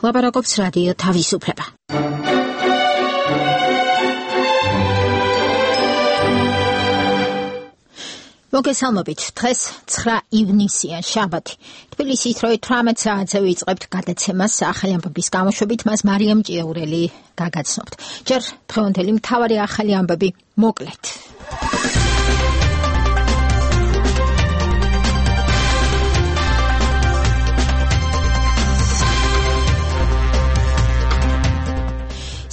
ლაპარაკობს რადიო თავისუფლება. მოგესალმებით, დღეს 9 ივნისია, შაბათი. თბილისის 18 საათზე ვიწყებთ გადაცემას ახალი ამბების გამოშვებით, მას მარიამ ჭიაურელი გაგაცნობთ. ჯერ დღევანდელი მთავარი ახალი ამბები მოკლედ.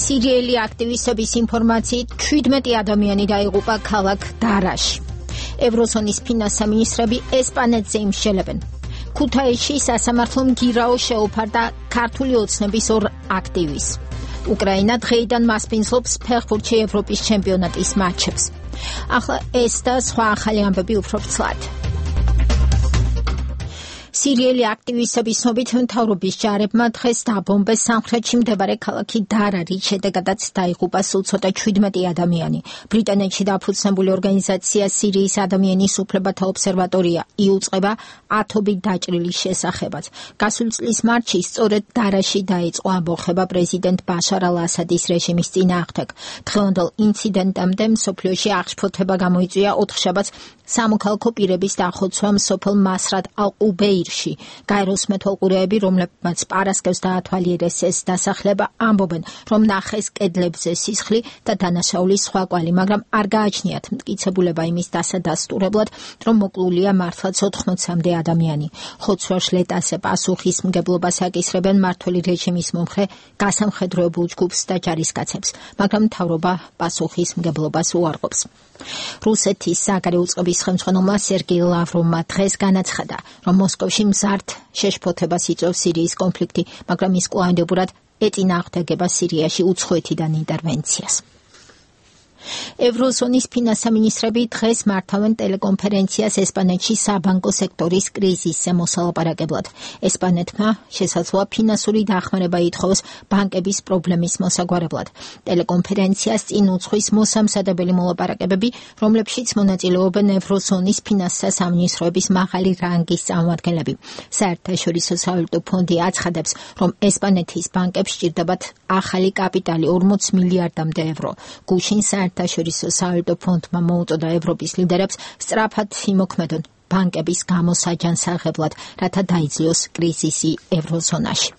სირიელი აქტივისტების ინფორმაციით 17 ადამიანი დაიღუპა ქალაქ დარაში. ევროზონის ფინანსთა მინისტრები ესპანეთზე იმსჯელებენ. ქუთაისში სასამართლომ გირაო შეუფარდა ქართული ოცნების 2 აქტივისტს. უკრაინა დღეიდან მასპინძლობს ფეხბურთში ევროპის ჩემპიონატის მატჩებს. ახლა ეს და სხვა ახალი ამბები უფრო ფრთად. სირიელი აქტივისტების ცნობით მთავრობის ჯარებმა დღეს დაბომბეს სამხრეთში მდებარე ქალაქი დარა, რის შედეგადაც დაიღუპა სულ ცოტა 17 ადამიანი. ბრიტანეთში დაფუძნებული ორგანიზაცია სირიის ადამიანის უფლებათა ობსერვატორია იუწყება ათობით დაჭრილის შესახებაც. გასული წლის მარტში სწორედ დარაში დაიწყო ამბოხება პრეზიდენტ ბაშარ ალ-ასადის რეჟიმის წინააღმდეგ. დღევანდელ ინციდენტამდე მსოფლიოში აღშფოთება გამოიწვია 4 შაბათს სამოქალაქო პირების დახოცვამ სოფელ მასრად ალ-ყუბეირში. გაეროს მეთვალყურეები, რომლებმაც პარასკევს დაათვალიერეს ეს დასახლება, ამბობენ, რომ ნახეს კედლებზე სისხლი და დანაშაულის სხვა კვალი, მაგრამ არ გააჩნიათ მტკიცებულება იმის დასადასტურებლად, რომ მოკლულია მართლაც 80-მდე ადამიანი. ხოცვა-შლეტასე პასუხისმგებლობას აკისრებენ მმართველი რეჟიმის მომხრე გასამხედროებულ ჯგუფს და ჯარისკაცებს, მაგრამ მთავრობა პასუხისმგებლობას უარყოფს. რუსეთის საგარეო წყობის ხელმძღვანელმა სერგეი ლავროვმა დღეს განაცხადა, რომ მოსკოვში მზარდ შეშფოთებას იწვევს სირიის კონფლიქტი, მაგრამ ის კვლავინდებურად ეწინააღმდეგება სირიაში უცხოეთიდან ინტერვენციას. ევროზონის ფინანსთა მინისტრები დღეს მართავენ ტელეკონფერენციას ესპანეთში საბანკო სექტორის კრიზისზე მოსალაპარაკებლად. ესპანეთმა შესაძლოა ფინანსური დახმარება ითხოვოს ბანკების პრობლემის მოსაგვარებლად. ტელეკონფერენციას წინ უძღვის მოსამზადებელი მოლაპარაკებები, რომლებშიც მონაწილეობენ ევროზონის ფინანსთა სამინისტროების მაღალი რანგის წარმომადგენლები. საერთაშორისო სავალუტო ფონდი აცხადებს, რომ ესპანეთის ბანკებს სჭირდებათ ახალი კაპიტალი 40 მილიარდამდე ევრო. გუშინ საერთაშორისო სავალუტო ფონდმა მოუწოდა ევროპის ლიდერებს სწრაფად იმოქმედონ ბანკების გამოსაჯანსაღებლად, რათა დაიძლიოს კრიზისი ევროზონაში.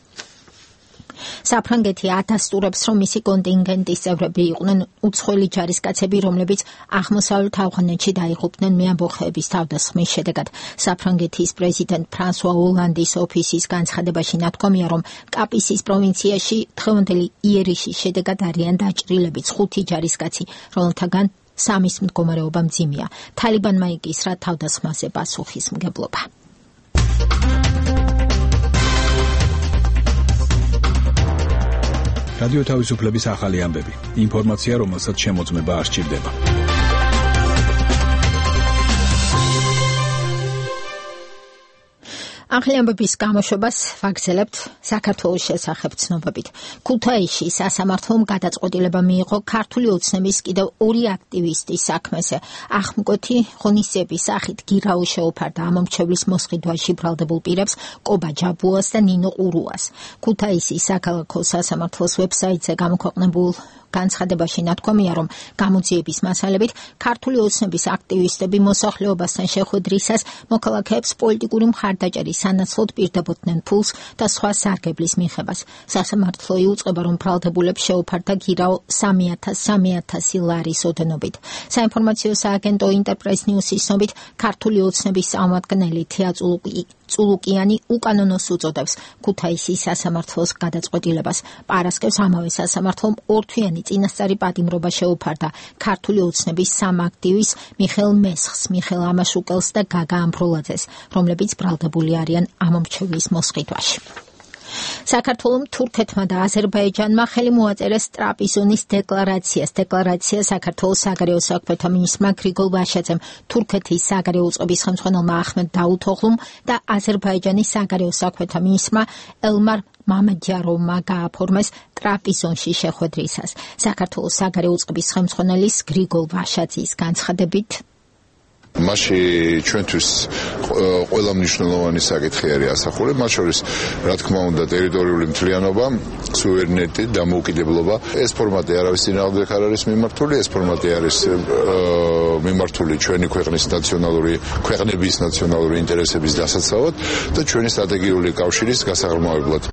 საფრანგეთი ადასტურებს, რომ მისი კონტინგენტის წევრები იყვნენ უცხოელი ჯარისკაცები, რომლებიც აღმოსავლეთ ავღანეთში დაიღუპნენ მეამბოხეების თავდასხმის შედეგად. საფრანგეთის პრეზიდენტ ფრანსუა ოლანდის ოფისის განცხადებაში ნათქვამია, რომ კაპისის პროვინციაში დღევანდელი იერიშის შედეგად არიან დაჭრილებიც 5 ჯარისკაცი, რომელთაგან 3-ის მდგომარეობა მძიმეა. თალიბანმა იკისრა თავდასხმაზე პასუხისმგებლობა. რადიო თავისუფლების ახალი ამბები. ინფორმაცია, რომელსაც შემოწმება არ სჭირდება. ახალი ამბების გამოშვებას ვაგრძელებთ საქართველოს შესახებ ცნობებით. ქუთაისში სასამართლომ გადაწყვეტილება მიიღო ქართული ოცნების კიდევ 2 აქტივისტის საქმეზე. ახმკვეთი ღონისძიების სახით გირაო შეუფარდა ამომრჩევლის მოსყიდვაში ბრალდებულ პირებს კობა ჯაბუას და ნინო ყურუას. ქუთაისის საქალაქო სასამართლოს ვებსაიტზე გამოქვეყნებულ განცხადებაში ნათქვამია, რომ გამოძიების მასალებით ქართული ოცნების აქტივისტები მოსახლეობასთან შეხვედრისას მოქალაქეებს პოლიტიკური მხარდაჭერის სანაცვლოდ პირდებოდნენ ფულს და სხვა სარგებლის მიღებას. სასამართლო იუწყება, რომ ბრალდებულებს შეუფარდა გირაო 3,000 ლარის ოდენობით. საინფორმაციო სააგენტო ინტერპრეს ნიუსის ცნობით, ქართული ოცნების წარმომადგენელი თეა წულუკიანი უკანონოს უწოდებს ქუთაისის სასამართლოს გადაწყვეტილებას. პარასკევს ამავე სასამართლომ 2 თვიანი წინასწარი პატიმრობა შეუფარდა ქართული ოცნების 3 აქტივისტს მიხელ მესხს, მიხელ ამაშუკელს და გაგა ამბროლაძეს, რომლებიც ბრალდებული არიან ამომრჩევლის მოსყიდვაში. საქართველოს თურქეთმა და აზერბაიჯანმა ხელი მოაწერეს ტრაპიზონის დეკლარაციას. დეკლარაცია საქართველოს საგარეო საქმეთა მინისტრმა გრიგოლ ვაშაძემ, თურქეთის საგარეო წყობის ხელმძღვანელმა ახმედ დაუთოღლუმ და აზერბაიჯანის საგარეო საქმეთა მინისტრმა ელმარ მამედიაროვმა გააფორმეს ტრაპიზონში შეხვედრისას. საქართველოს საგარეო წყობის ხელმძღვანელის გრიგოლ ვაშაძის განცხადებით მასში ჩვენთვის ყველა მნიშვნელოვანი საკითხი არის ასახული, მათ შორის რა თქმა უნდა ტერიტორიული მთლიანობა, სუვერენიტეტი, დამოუკიდებლობა. ეს ფორმატი არავის წინააღმდეგ არ არის მიმართული, ეს ფორმატი არის მიმართული ჩვენი ქვეყნების ნაციონალური ინტერესების დასაცავად და ჩვენი სტრატეგიული კავშირის გასაღრმავებლად.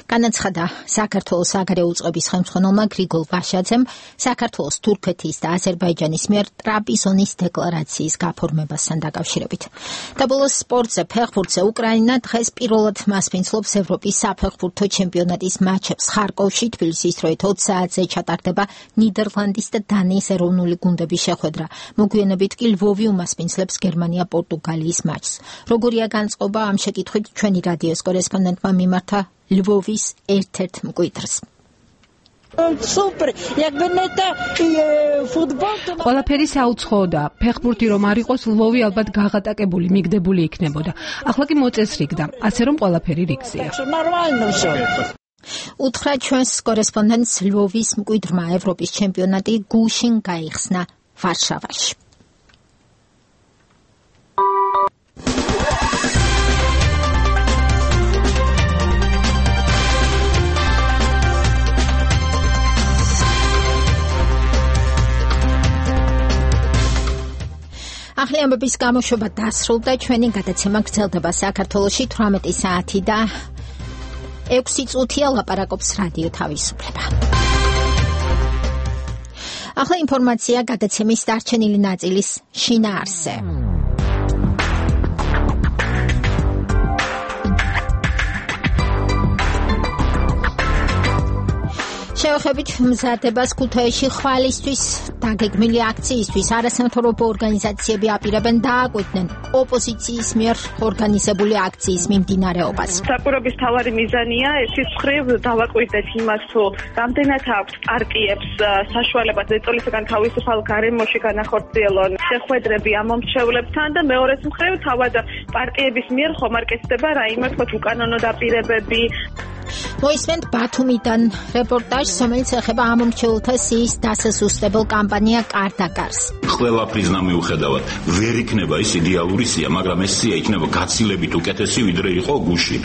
განაცხადა საქართველოს საგარეო უწყების ხელმძღვანელმა გრიგოლ ვაშაძემ საქართველოს, თურქეთის და აზერბაიჯანის მიერ ტრაპიზონის დეკლარაციის გაფორმებასთან დაკავშირებით. და ბოლოს სპორტზე, ფეხბურთზე უკრაინა დღეს პირველად მასპინძლობს ევროპის საფეხბურთო ჩემპიონატის მატჩებს ხარკოვში. თბილისის დროით 20 საათზე ჩატარდება ნიდერლანდის და დანიის ეროვნული გუნდების შეხვედრა. მოგვიანებით კი ლვოვი უმასპინძლებს გერმანია-პორტუგალიის მატჩს. როგორია განწყობა ამ შეკითხვით ჩვენი რადიოს კორესპონდენტმა მიმართა ლვოვის ერთ-ერთ მკვიდრს. ყველაფერი საუცხოოდა. ფეხბურთი რომ არ იყოს, ლვოვი ალბათ გაღატაკებული, მიგდებული იქნებოდა. ახლა კი მოწესრიგდა, ასე რომ ყველაფერი რიგზეა. უთხრა ჩვენს კორესპონდენტს ლვოვის მკვიდრმა. ევროპის ჩემპიონატი გუშინ გაიხსნა ვარშავაში. ახალი ამბების გამოშვება დასრულდა. ჩვენი გადაცემა გრძელდება საქართველოში 18 საათი და 6 წუთია ლაპარაკობს რადიო თავისუფლება. ახლა ინფორმაცია გადაცემის დარჩენილი ნაწილის შინაარსზე. შევეხებით მზადებას ქუთაისში ხვალისთვის დაგეგმილი აქციისთვის არასამთავრობო ორგანიზაციები აპირებენ დააკვირდნენ ოპოზიციის მიერ ორგანიზებული აქციის მიმდინარეობას. საკვირვების მთავარი მიზანია ესის მხრივ დავაკვირდეთ იმას, თუ რამდენად აქვს პარტიებს საშუალება ზეწოლისგან თავისუფალ გარემოში განახორციელონ შეხვედრები ამ მომრჩევლებთან და მეორეს მხრივ თავად პარტიების მიერ ხომ არ კეთდება რაიმე უკანონო დაპირებები. მოისმენთ ბათუმიდან რეპორტაჟს, რომელიც ეხება ამ მომრჩეულთა სიის დასასუსტებელ კამპანია კარდაკარს. ყველაფრის მიუხედავად ვერ იქნება ის იდეალური სია, მაგრამ ეს სია იქნება გაცილებით უკეთესი, ვიდრე იყო გუშინ.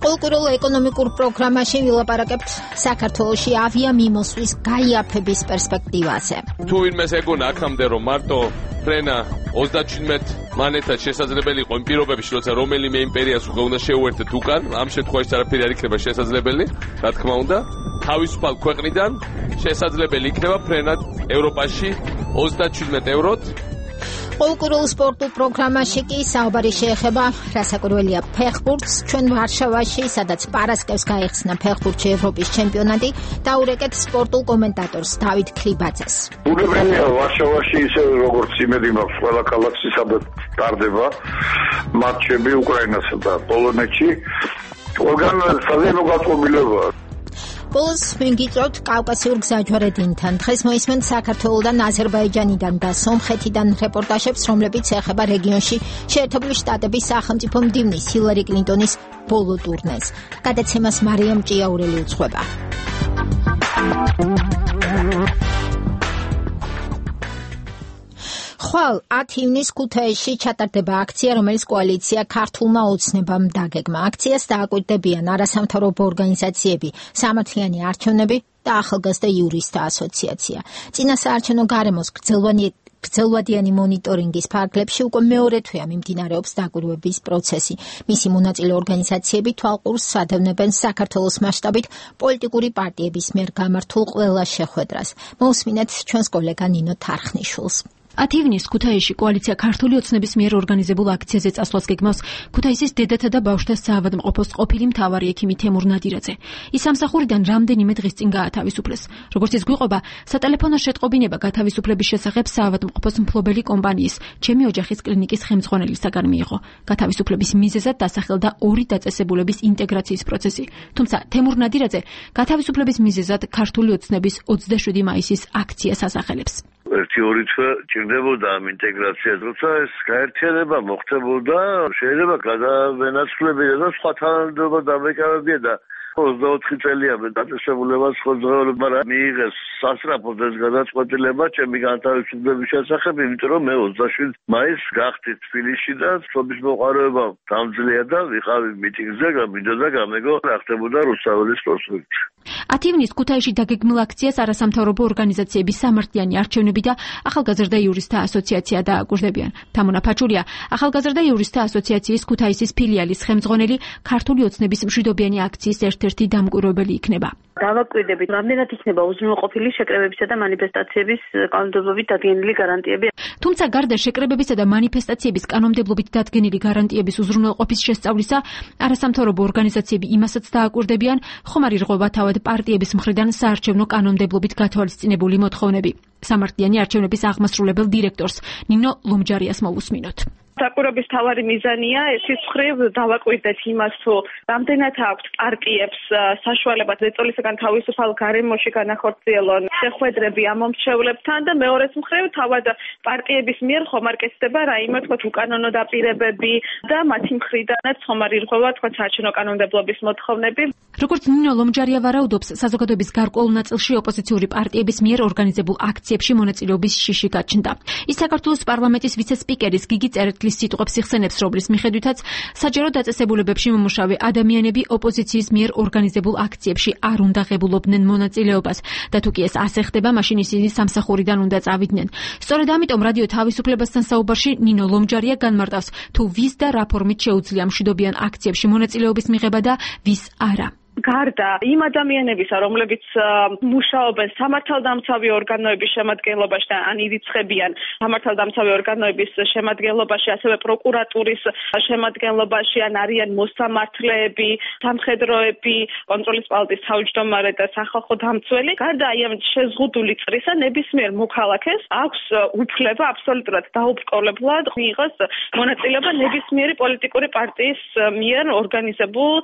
ყოველკვირეულ ეკონომიკურ პროგრამაში ვილაპარაკებთ საქართველოში ავიამიმოსვლის გაიაფების პერსპექტივაზე. თუ ვინმეს ეგონა აქამდე რომ მარტო ფრენა 37 მანეთად შესაძლებელი იყო იმ პირობებში, როცა რომელიმე იმპერიას უკვე უნდა შეუერთდეთ უკან, ამ შემთხვევაში არაფერი არ იქნება შესაძლებელი, რა თქმა უნდა, თავისუფალ ქვეყნიდან შესაძლებელი იქნება ფრენად ევროპაში 37 ევროთ. ყოველკვირეულ სპორტულ პროგრამაში კი საუბარი შეეხება რასაკვირველია ფეხბურთს. ჩვენ ვარშავაში, სადაც პარასკევს გაიხსნა ფეხბურთში ევროპის ჩემპიონატი, დაურეკეთ სპორტულ კომენტატორს დავით ქლიბაძეს. უგებელია ვარშავაში ისე როგორც იმედი მაქვს ყველა ქალაქში, სადაც ტარდება მატჩები უკრაინასა და პოლონეთში. ყველგან საზეიმო გაწყვეტილებაა. ბოლოს მიგიწევთ კავკასიურ გზაჯვარედინთან. დღეს მოისმენთ საქართველოდან, აზერბაიჯანიდან და სომხეთიდან რეპორტაჟებს, რომლებიც ეხება რეგიონში შეერთებული შტატების სახელმწიფო მდივნის ჰილარი კლინტონის ბოლო ტურნეს. გადაცემას მარიამ ჭიაურელი უძღვება. ხვალ 10 ივნისს ქუთაისში ჩატარდება აქცია, რომელიც კოალიცია ქართულმა ოცნებამ დაგეგმა. აქციას დააკვირდებიან არასამთავრობო ორგანიზაციები, სამართლიანი არჩევნები და ახალგაზრდა იურისტთა ასოციაცია. წინასაარჩევნო გარემოს გრძელვადიანი მონიტორინგის ფარგლებში უკვე მეორე თვეა მიმდინარეობს დაკვირვების პროცესი. მისი მონაწილე ორგანიზაციები თვალყურს ადევნებენ საქართველოს მასშტაბით პოლიტიკური პარტიების მიერ გამართულ ყველა შეხვედრას. მოусმინეთ ჩვენს კოლეგა ნინო თარხნიშვილს. 10 ივნისს ქუთაისში კოალიცია ქართული ოცნების მიერ ორგანიზებულ აქციაზე წასვლას გეგმავს ქუთაისის დედათა და ბავშვთა საავადმყოფოს ყოფილი მთავარი ექიმი თემურ ნადირაძე. ის სამსახურიდან რამდენიმე დღის წინ გაათავისუფლეს. როგორც ის გვიყვება, სატელეფონო შეტყობინება გათავისუფლების შესახებ საავადმყოფოს მფლობელი კომპანიის ჩემი ოჯახის კლინიკის ხელმძღვანელისაგან მიიღო. გათავისუფლების მიზეზად დასახელდა 2 დაწესებულების ინტეგრაციის პროცესი. თუმცა თემურ ნადირაძე გათავისუფლების მიზეზად ქართული ოცნების 27 მაისის აქციას ასახელებს. 1-2 თვე ჭირდებოდა ამ ინტეგრაციას, როცა ეს გაერთიანება მოხდებოდა, შეიძლება გადავენაცვლებინა და სხვა თანამდებობა დამეკარებია და 24 წელია მე დაწესებულებას ხოძღეულებმა მიიღეს სასწრაფოდ ეს გადაწყვეტილება ჩემი განთავისუფლების შესახებ, იმიტომ რომ მე 27 მაისს გახდი თბილისში და სოფლის მოყარება დამძლია და ვიყავი მიტინგზე, მინდოდა გამეგო რა ხდებოდა რუსთაველის პროსპექტში. 10 ივნისს ქუთაისში დაგეგმილ აქციას არასამთავრობო ორგანიზაციების სამართლიანი არჩევნები და ახალგაზრდა იურისტთა ასოციაცია დააკვირდებიან. თამონა ფაჩურია, ახალგაზრდა იურისტთა ასოციაციის ქუთაისის ფილიალის ხელმძღვანელი, ქართული ოცნების მშვიდობიანი აქციის ერთ-ერთი დამკვირვებელი იქნება. დავაკვირდებით, რამდენად იქნება უზრუნველყოფილი შეკრებებისა და მანიფესტაციების კანონმდებლობით დადგენილი გარანტიები. თუმცა გარდა შეკრებებისა და მანიფესტაციების კანონმდებლობით დადგენილი გარანტიების უზრუნველყოფის შესწავლისა, არასამთავრობო ორგანიზაციები იმასაც დააკვირდებიან, ხომ არ ირღვევა თავად პარტიების მხრიდან საარჩევნო კანონმდებლობით გათვალისწინებული მოთხოვნები. სამართლიანი არჩევნების აღმასრულებელ დირექტორს ნინო ლომჯარიას მოვუსმინოთ. დაკვირვების თავარი მიზანია ეს მხრივ დავაკვირდეთ იმას, თუ რამდენად აქვს პარტიებს საშუალება ზეწოლისაგან თავისუფალ გარემოში განახორციელონ შეხვედრები ამ მომრჩევლებთან და მეორეს მხრივ თავად პარტიების მიერ ხომ არ კეთდება რაიმე თქვათ უკანონო დაპირებები და მათი მხრიდანაც ხომ არ ირღვევა თქვათ საარჩევნო კანონმდებლობის მოთხოვნები. როგორც ნინო ლომჯარია ვარაუდობს, საზოგადოების გარკვეულ ნაწილში ოპოზიციური პარტიების მიერ ორგანიზებულ აქციებში მონაწილეობის შიში გაჩნდა. ის საქართველოს პარლამენტის ვიცე-სპიკერის გიგი წერეთლის სიტყვებს იხსენებს, რომლის მიხედვითაც საჯარო დაწესებულებებში მომუშავე ადამიანები ოპოზიციის მიერ ორგანიზებულ აქციებში არ უნდა ღებულობდნენ მონაწილეობას და თუ კი ეს ასე ხდება, მაშინ ისინი სამსახურიდან უნდა წავიდნენ. სწორედ ამიტომ რადიო თავისუფლებასთან საუბარში ნინო ლომჯარია განმარტავს, თუ ვის და რა ფორმით შეუძლია მშვიდობიან აქციებში მონაწილეობის მიღება და ვის არა. გარდა იმ ადამიანებისა, რომლებიც მუშაობენ სამართალდამცავი ორგანოების შემადგენლობაში და ან ირიცხებიან სამართალდამცავი ორგანოების შემადგენლობაში, ასევე პროკურატურის შემადგენლობაში, ან არიან მოსამართლეები, სამხედროები, კონტროლის პალატის თავმჯდომარე და სახალხო დამცველი. გარდა აი ამ შეზღუდული წრისა, ნებისმიერ მოქალაქეს აქვს უფლება აბსოლუტურად დაუბრკოლებლად მიიღოს მონაწილეობა ნებისმიერი პოლიტიკური პარტიის მიერ ორგანიზებულ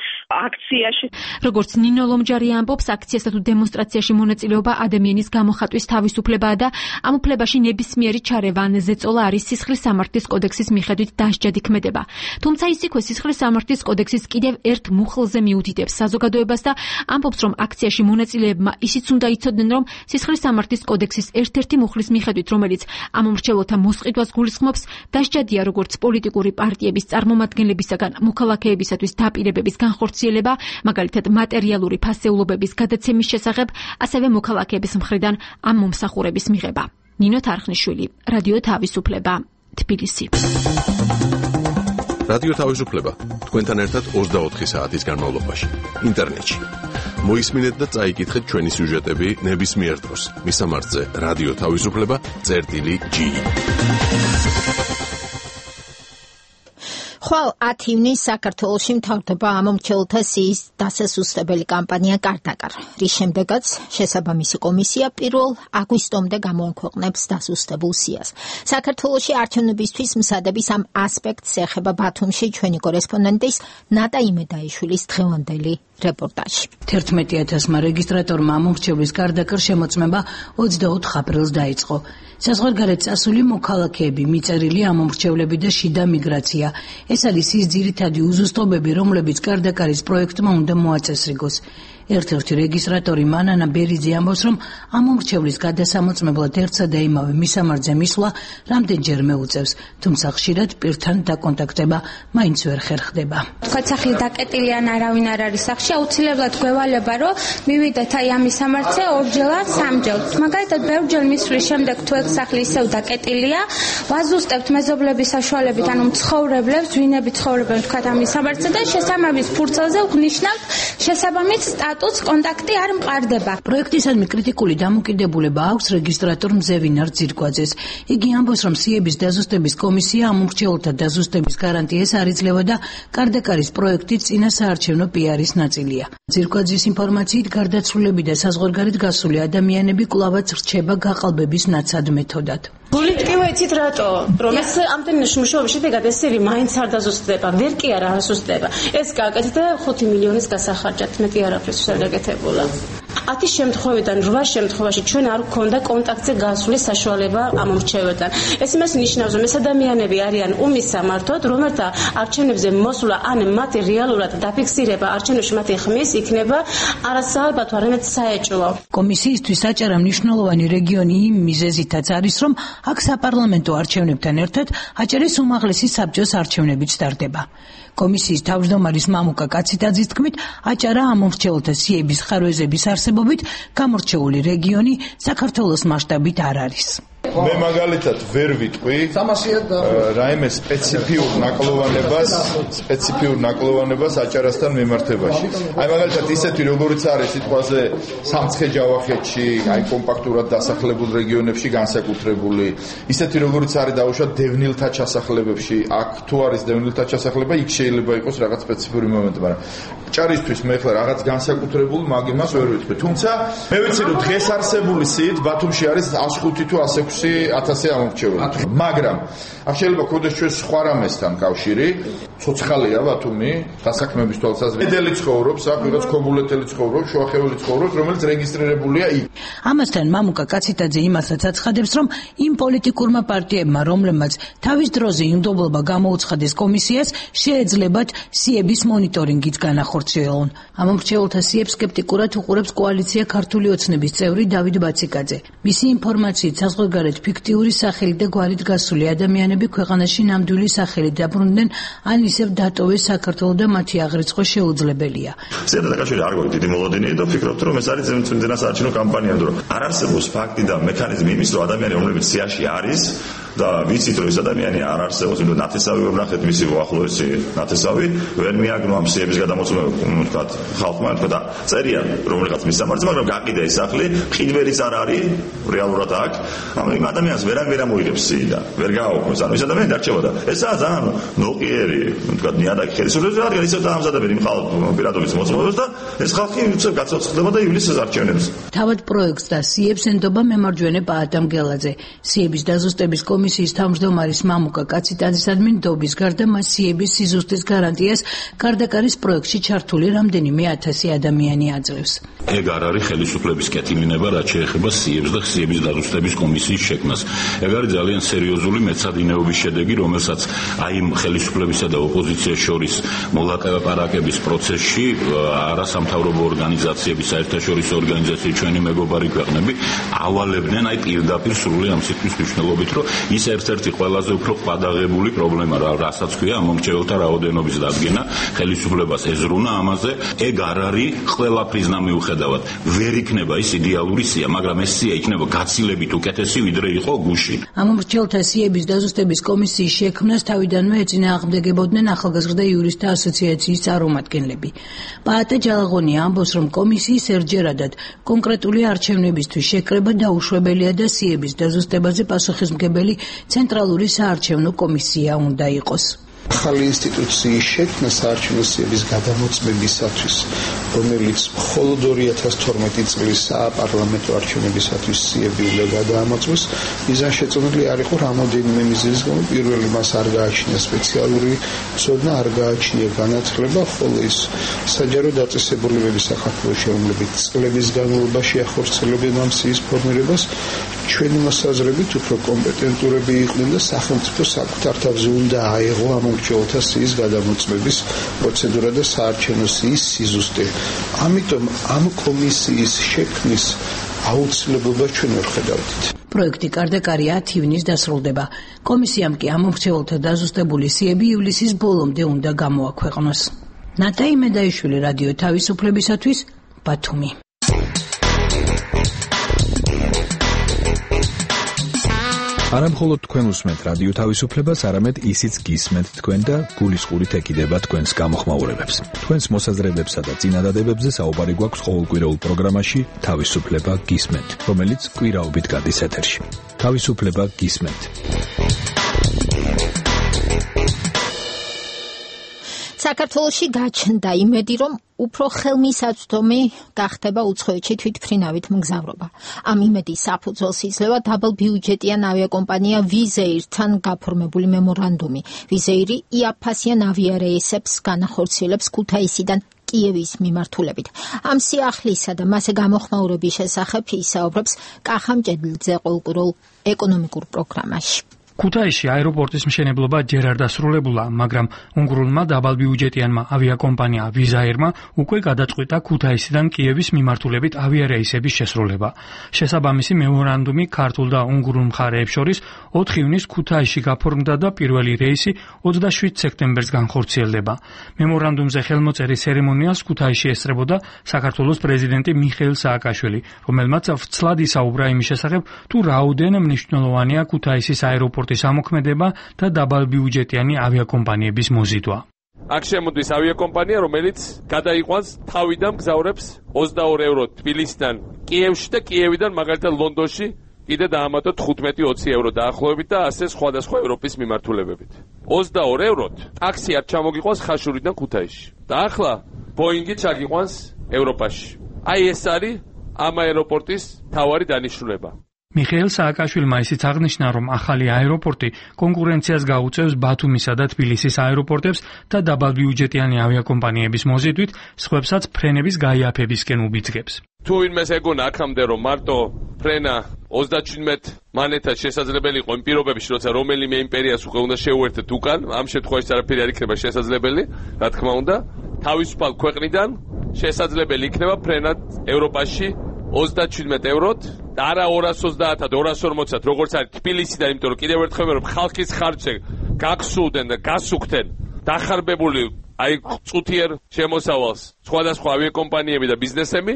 აქციაში. როგორც ნინო ლომჯარია ამბობს, აქციასა თუ დემონსტრაციაში მონაწილეობა ადამიანის გამოხატვის თავისუფლებაა და ამ უფლებაში ნებისმიერი ჩარევა ან ზეწოლა არის სისხლის სამართლის კოდექსის მიხედვით დასჯად იქმედება. თუმცა ის იქვე სისხლის სამართლის კოდექსის კიდევ ერთ მუხლზე მიუდიდებს საზოგადოებას და ამბობს, რომ აქციაში მონაწილეებმა ისიც უნდა იცოდნენ, რომ სისხლის სამართლის კოდექსის ერთ-ერთი მუხლის მიხედვით, რომელიც ამ მომრჩეველთა მოსყიდვას გულისხმობს, დასჯადია როგორც პოლიტიკური პარტიების წარმომადგენლებისაგან მოქალაქეებისათვის დაპირებების განხორციელება, მაგალითად მატერიალური ფასეულობების გადაცემის შესახებ, ასევე მოქალაქეების მხრიდან ამ მომსახურების მიღება. ნინო თარხნიშვილი, რადიო თავისუფლება, თბილისი. რადიო თავისუფლება თქვენთან ერთად 24 საათის განმავლობაში ინტერნეტში. მოისმინეთ და წაიკითხეთ ჩვენი სიუჟეტები ნებისმიერ დროს. მისამართზე რადიო თავისუფლება.gi. ხვალ 10 ივნისს საქართველოში მთავრდება ამომრჩეველთა სიის დასასუსტებელი კამპანია კარ-დაკარ, რის შემდეგაც შესაბამისი კომისია 1 აგვისტომდე გამოაქვეყნებს დასუსტებულ სიას. საქართველოში არჩევნებისთვის მსადების ამ ასპექტს ეხება ბათუმში ჩვენი კორესპონდენტის ნატა იმედაიშვილის დღევანდელი რეპორტაჟი. 11,000-მა რეგისტრატორმა ამომრჩევლის კარ-დაკარ შემოწმება 24 აპრილს დაიწყო. საზღვარგარეთ წასული მოქალაქეები, მიწერილი ამომრჩევლები და შიდა მიგრაცია. ეს არის ის ძირითადი უზუსტობები, რომლებიც კარ-დაკარის პროექტმა უნდა მოაწესრიგოს. ერთ-ერთი რეგისტრატორი მანანა ბერიძე ამბობს, რომ ამომრჩევლის გადასამოწმებლად ერთსა და იმავე მისამართზე მისვლა რამდენჯერ მეუწევს, თუმცა ხშირად პირთან დაკონტაქტება მაინც ვერ ხერხდება. თქვა სახლი დაკეტილი ან არავინ არ არის სახლში, აუცილებლად გვევალება, რომ მივიდეთ აი ამ მისამართზე ორჯერ ან სამჯერ. მაგალითად, ბევრჯერ მისვლის შემდეგ თუ ეს სახლი ისევ დაკეტილია, ვაზუსტებთ მეზობლების საშუალებით, ანუ მცხოვრებლებს, ვინები ცხოვრობენ თქვა ამ მისამართზე და შესაბამის ფურცელზე ვნიშნავთ შესაბამის კონტაქტი არ მყარდება. პროექტისადმი კრიტიკული დამოკიდებულება აქვს რეგისტრატორ მზევინარ ძირკვაძეს. იგი ამბობს, რომ სიების დაზუსტების კომისია ამომრჩეველთა დაზუსტების გარანტიას არ იძლევა და კარ-დაკარის პროექტი წინა საარჩევნო პიარის ნაწილია. ძირკვაძის ინფორმაციით, გარდაცვლილები და საზღვარგარეთ გასული ადამიანები კვლავაც რჩება გაყალბების ნაცად მეთოდად. გულით კი ვიცით რატო? რომ ეს ამდენი მუშაობის შედეგად ეს სერი მაინც არ დაზუსტდება, ვერ კი არ ასუსტდება. ეს გააკეთეთ და 5 მილიონის გასახარჯად, მეტი არაფერს არ გაკეთებულა. 10 შემთხვევიდან 8 შემთხვევაში ჩვენ არ გვქონდა კონტაქტზე გასვლის საშუალება ამ მრჩეველთან. ეს იმას ნიშნავს, რომ ეს ადამიანები არიან ომის სამართოდ, რომელთა არჩევნებზე მოსვლა ან მათი რეალურად დაფიქსირება არჩევნებში მათი ხმის იქნება არასაალბათო, არამედ საეჭვო. კომისიისთვის საჭირო მნიშვნელოვანი რეგიონი იმ მიზეზითაც არის, რომ აქ საპარლამენტო არჩევნებთან ერთად აჭარის უმაღლესი საბჭოს არჩევნებიც ტარდება. კომისიის თავმჯდომარის მამუკა კაციტაძის თქმით, აჭარა ამომრჩეველთა სიების ხარვეზების არსებობით გამორჩეული რეგიონი საქართველოს მასშტაბით არ არის. მე მაგალითად ვერ ვიტყვი რაიმე სპეციფიურ ნაკლოვანებას აჭარასთან მიმართებაში. აი მაგალითად ისეთი როგორიც არის სიტყვაზე სამცხე-ჯავახეთში, აი კომპაქტურად დასახლებულ რეგიონებში განსაკუთრებული, ისეთი როგორიც არის დაუშვათ დევნილთა ჩასახლებებში, აქ თუ არის დევნილთა ჩასახლება, იქ შეიძლება იყოს რაღაც სპეციფიური მომენტი, მაგრამ აჭარისთვის მე ხლა რაღაც განსაკუთრებულ მაგ იმას ვერ ვიტყვი. თუმცა მე ვიცი რომ დღეს არსებული სიით ბათუმში არის 105 თუ 106,000 ამორჩეველი. მაგრამ აქ შეიძლება ქონდეს ჩვენ სხვა რამესთან კავშირი, ცოცხალია ბათუმი, დასაქმების თვალსაზრისით. მედელი ცხოვრობს, აქ ვიღაც ქობულეთელი ცხოვრობს, შუახეველი ცხოვრობს, რომელიც რეგისტრირებულია იქ. ამასთან მამუკა კაციტაძე იმასაც აცხადებს, რომ იმ პოლიტიკურმა პარტიებმა, რომლებმაც თავის დროზე იმდობლობა გამოუცხადეს კომისიას, შეეძლებათ სიების მონიტორინგიც განახორციელონ. ამომრჩეველთა სიებს სკეპტიკურად უყურებს კოალიცია ქართული ოცნების წევრი დავით ბაციკაძე. მისი ინფორმაციით საზღვარგარეთ ფიქტიური სახელით და გვარით გასული ადამიანები ქვეყანაში ნამდვილი სახელით დაბრუნდნენ, ან ისევ დატოვეს საქართველო და მათი აღრიცხვა შეუძლებელია. ზედაკავშირი არ გვაქვს დიდი მოლოდინი და ვფიქრობთ, რომ ეს არის ძმწმინდა საარჩევნო კამპანია, რომ არ არსებობს ფაქტი და მექანიზმი იმის, რომ ადამიანი, რომლებიც სიაში არის და ვიცით, რომ ეს ადამიანი არ არსებობს, იმიტომ ნათესავი ვერ ნახეთ მისი უახლოესი ნათესავი, ვერ მიაგნო ამ სიების გადამოწმება, ვთქვათ, ხალხმა, და წერია რომელიღაც მის სამართლზე, მაგრამ გაყიდა ეს სახლი, ხიდვერიც არ არის რეალურად აქ, ამ ადამიანს ვერ ამოიღებს სიიდან, ვერ გააუქმეს, ანუ ეს ადამიანი დარჩებოდა. ესაა ძალიან ნოყიერი, ვთქვათ, ნიადაგი ხელისუფლების, რადგან ისევ დაამზადებენ იმ ხალხ პირადობის მოწმობებს და ეს ხალხი უცებ გაცოცხლდება და ივლისის არჩევნებს. თავად პროექტს და სიებს ენდობა მემარჯვენე პაატა მგელაძე. სიების დაზუსტების კომისიის თავმჯდომარის მამუკა კაციტაძისადმი ნდობის გარდა მას სიების სიზუსტის გარანტიას გარდაკარის პროექტში ჩართული რამდენიმე 1000 ადამიანი აძლევს. ეგ არ არის ხელისუფლების კეთილინება, რაც შეეხება სიებს და სიების დაზუსტების კომისიის შექმნას. ეგ არის ძალიან სერიოზული მეცადინეობის შედეგი, რომელსაც აი ხელისუფლებისა და ოპოზიციის შორის მოლაპარაკების პროცესში არასამთავრობო ორგანიზაციები, საერთაშორისო ორგანიზაციები, ჩვენი მეგობარი ქვეყნები ავალებდნენ აი პირდაპირ სრული ამ სიტყვის მნიშვნელობით, რომ ის ერთ-ერთი ყველაზე უფრო ყვადაღებული პრობლემა, რასაც ქვია ამომრჩეველთა რაოდენობის დადგენა, ხელისუფლებას ეზრუნა ამაზე. ეგ არ არის ყველაფრისნა მიუხედავად. ვერ იქნება ის იდეალური სია, მაგრამ ეს სია იქნება გაცილებით უკეთესი, ვიდრე იყო გუში. ამომრჩეველთა სიების დაზუსტების კომისიის შექმნას თავიდანვე ეწინააღმდეგებოდნენ ახალგაზრდა იურისტთა ასოციაციის წარმომადგენლები. პაატა ჯალაღონია ამბობს, რომ კომისიის ერთჯერადად კონკრეტული არჩევნებისთვის შეკრება დაუშვებელია და სიების დაზუსტებაზე პასუხისმგებელი ცენტრალური საარჩევნო კომისია უნდა იყოს. ახალი ინსტიტუციის შექმნა საარჩევნო სიების გადამოწმებისათვის, რომელიც მხოლოდ 2012 წლის საპარლამენტო არჩევნებისათვის სიები უნდა გადაამოწმოს, მიზანშეწონილი არ იყო რამოდენიმე მიზეზის გამო. პირველი, მას არ გააჩნია სპეციალური ცოდნა, არ გააჩნია განათლება, ხოლო ის საჯარო დაწესებულებები საქართველოში, რომლებიც წლების განმავლობაში ახორციელებენ ამ სიის ფორმირებას, ჩვენი მოსაზრებით უფრო კომპეტენტურები იყვნენ და სახელმწიფო საკუთარ თავზე უნდა აეღო ამომრჩეველთა სიის გადამოწმების პროცედურა და საარჩევნო სიის სიზუსტე. ამიტომ ამ კომისიის შექმნის აუცილებლობას ჩვენ ვერ ხედავთ. პროექტი კარდაკარი 10 ივნის დასრულდება. კომისიამ კი ამომრჩეველთა დაზუსტებული სიები ივლისის ბოლომდე უნდა გამოაქვეყნოს. ნატაი მედაიშვილი, რადიო თავისუფლებისათვის, ბათუმი. არა მხოლოდ თქვენ უსმენთ რადიო თავისუფლებას, არამედ ისიც გისმენთ თქვენ და გულისყურით ეკიდება თქვენს გამოხმაურებებს. თქვენს მოსაზრებებსა და წინადადებებზე საუბარი გვაქვს ყოველკვირეულ პროგრამაში თავისუფლება გისმენთ, რომელიც კვირაობით გადის ეთერში. თავისუფლება გისმენთ. საქართველოში გაჩნდა იმედი, რომ უფრო ხელმისაწვდომი გახდება უცხოეთში თვითმფრინავით მგზავრობა. ამ იმედის საფუძველს იძლევა დაბალბიუჯეტიან ავიაკომპანია ვიზეირთან გაფორმებული მემორანდუმი. ვიზეირი იაფასიან ავიარეისებს განახორციელებს ქუთაისიდან კიევის მიმართულებით. ამ სიახლისა და მასზე გამოხმაურების შესახებ ისაუბრებს კახა მჭედლიძე ყოველკვირეულ ეკონომიკურ პროგრამაში. ქუთაისში აეროპორტის მშენებლობა ჯერ არ დასრულებულა, მაგრამ უნგრულმა დაბალბიუჯეტიანმა ავიაკომპანია ვიზაერმა უკვე გადაწყვიტა ქუთაისიდან კიევის მიმართულებით ავიარეისების შესრულება. შესაბამისი მემორანდუმი ქართულ და უნგრულ მხარეებს შორის 4 ივნის ქუთაისში გაფორმდა და პირველი რეისი 27 სექტემბერს განხორციელდება. მემორანდუმზე ხელმოწერის ცერემონიალს ქუთაისში ესწრებოდა საქართველოს პრეზიდენტი მიხეილ სააკაშვილი, რომელმაც ვცლად ისაუბრა იმის შესახებ, თუ რაოდენ მნიშვნელოვანია ქუთაისის აეროპორტის ამოქმედება და დაბალბიუჯეტიანი ავიაკომპანიების მოზიდვა. აქ შემოდის ავიაკომპანია, რომელიც გადაიყვანს თავიდან მგზავრებს 22 ევრო თბილისიდან კიევში და კიევიდან მაგალითად ლონდონში კიდე დაამატოთ 15-20 ევრო დაახლოებით და ასე სხვადასხვა ევროპის მიმართულებებით. 22 ევროთ ტაქსი არ ჩამოგიყვანს ხაშურიდან ქუთაისში. და ახლა ბოინგი ჩაგიყვანს ევროპაში. აი ეს არის ამ აეროპორტის მთავარი დანიშნულება. მიხეილ სააკაშვილმა ისიც აღნიშნა, რომ ახალი აეროპორტი კონკურენციას გაუწევს ბათუმისა და თბილისის აეროპორტებს და დაბალბიუჯეტიანი ავიაკომპანიების მოზიდვით სხვებსაც ფრენების გაიაფებისკენ უბიძგებს. თუ ვინმეს ეგონა აქამდე რომ მარტო ფრენა 37 მანეთად შესაძლებელი იყო იმ პირობებში, როცა რომელიმე იმპერიას უკვე უნდა შეუერთეთ უკან, ამ შემთხვევაში არაფერი არ იქნება შესაძლებელი, რა თქმა უნდა, თავისუფალ ქვეყნიდან შესაძლებელი იქნება ფრენად ევროპაში 37 ევროთ და არა 230-ად 240-ად, როგორც არის თბილისიდან, იმიტომ რომ კიდევ ერთხელ რომ ხალხის ხარჯზე გაგსულდნენ და გასუქდნენ დახარბებული აი წუთიერ შემოსავალს სხვადასხვა ავიაკომპანიები და ბიზნესები.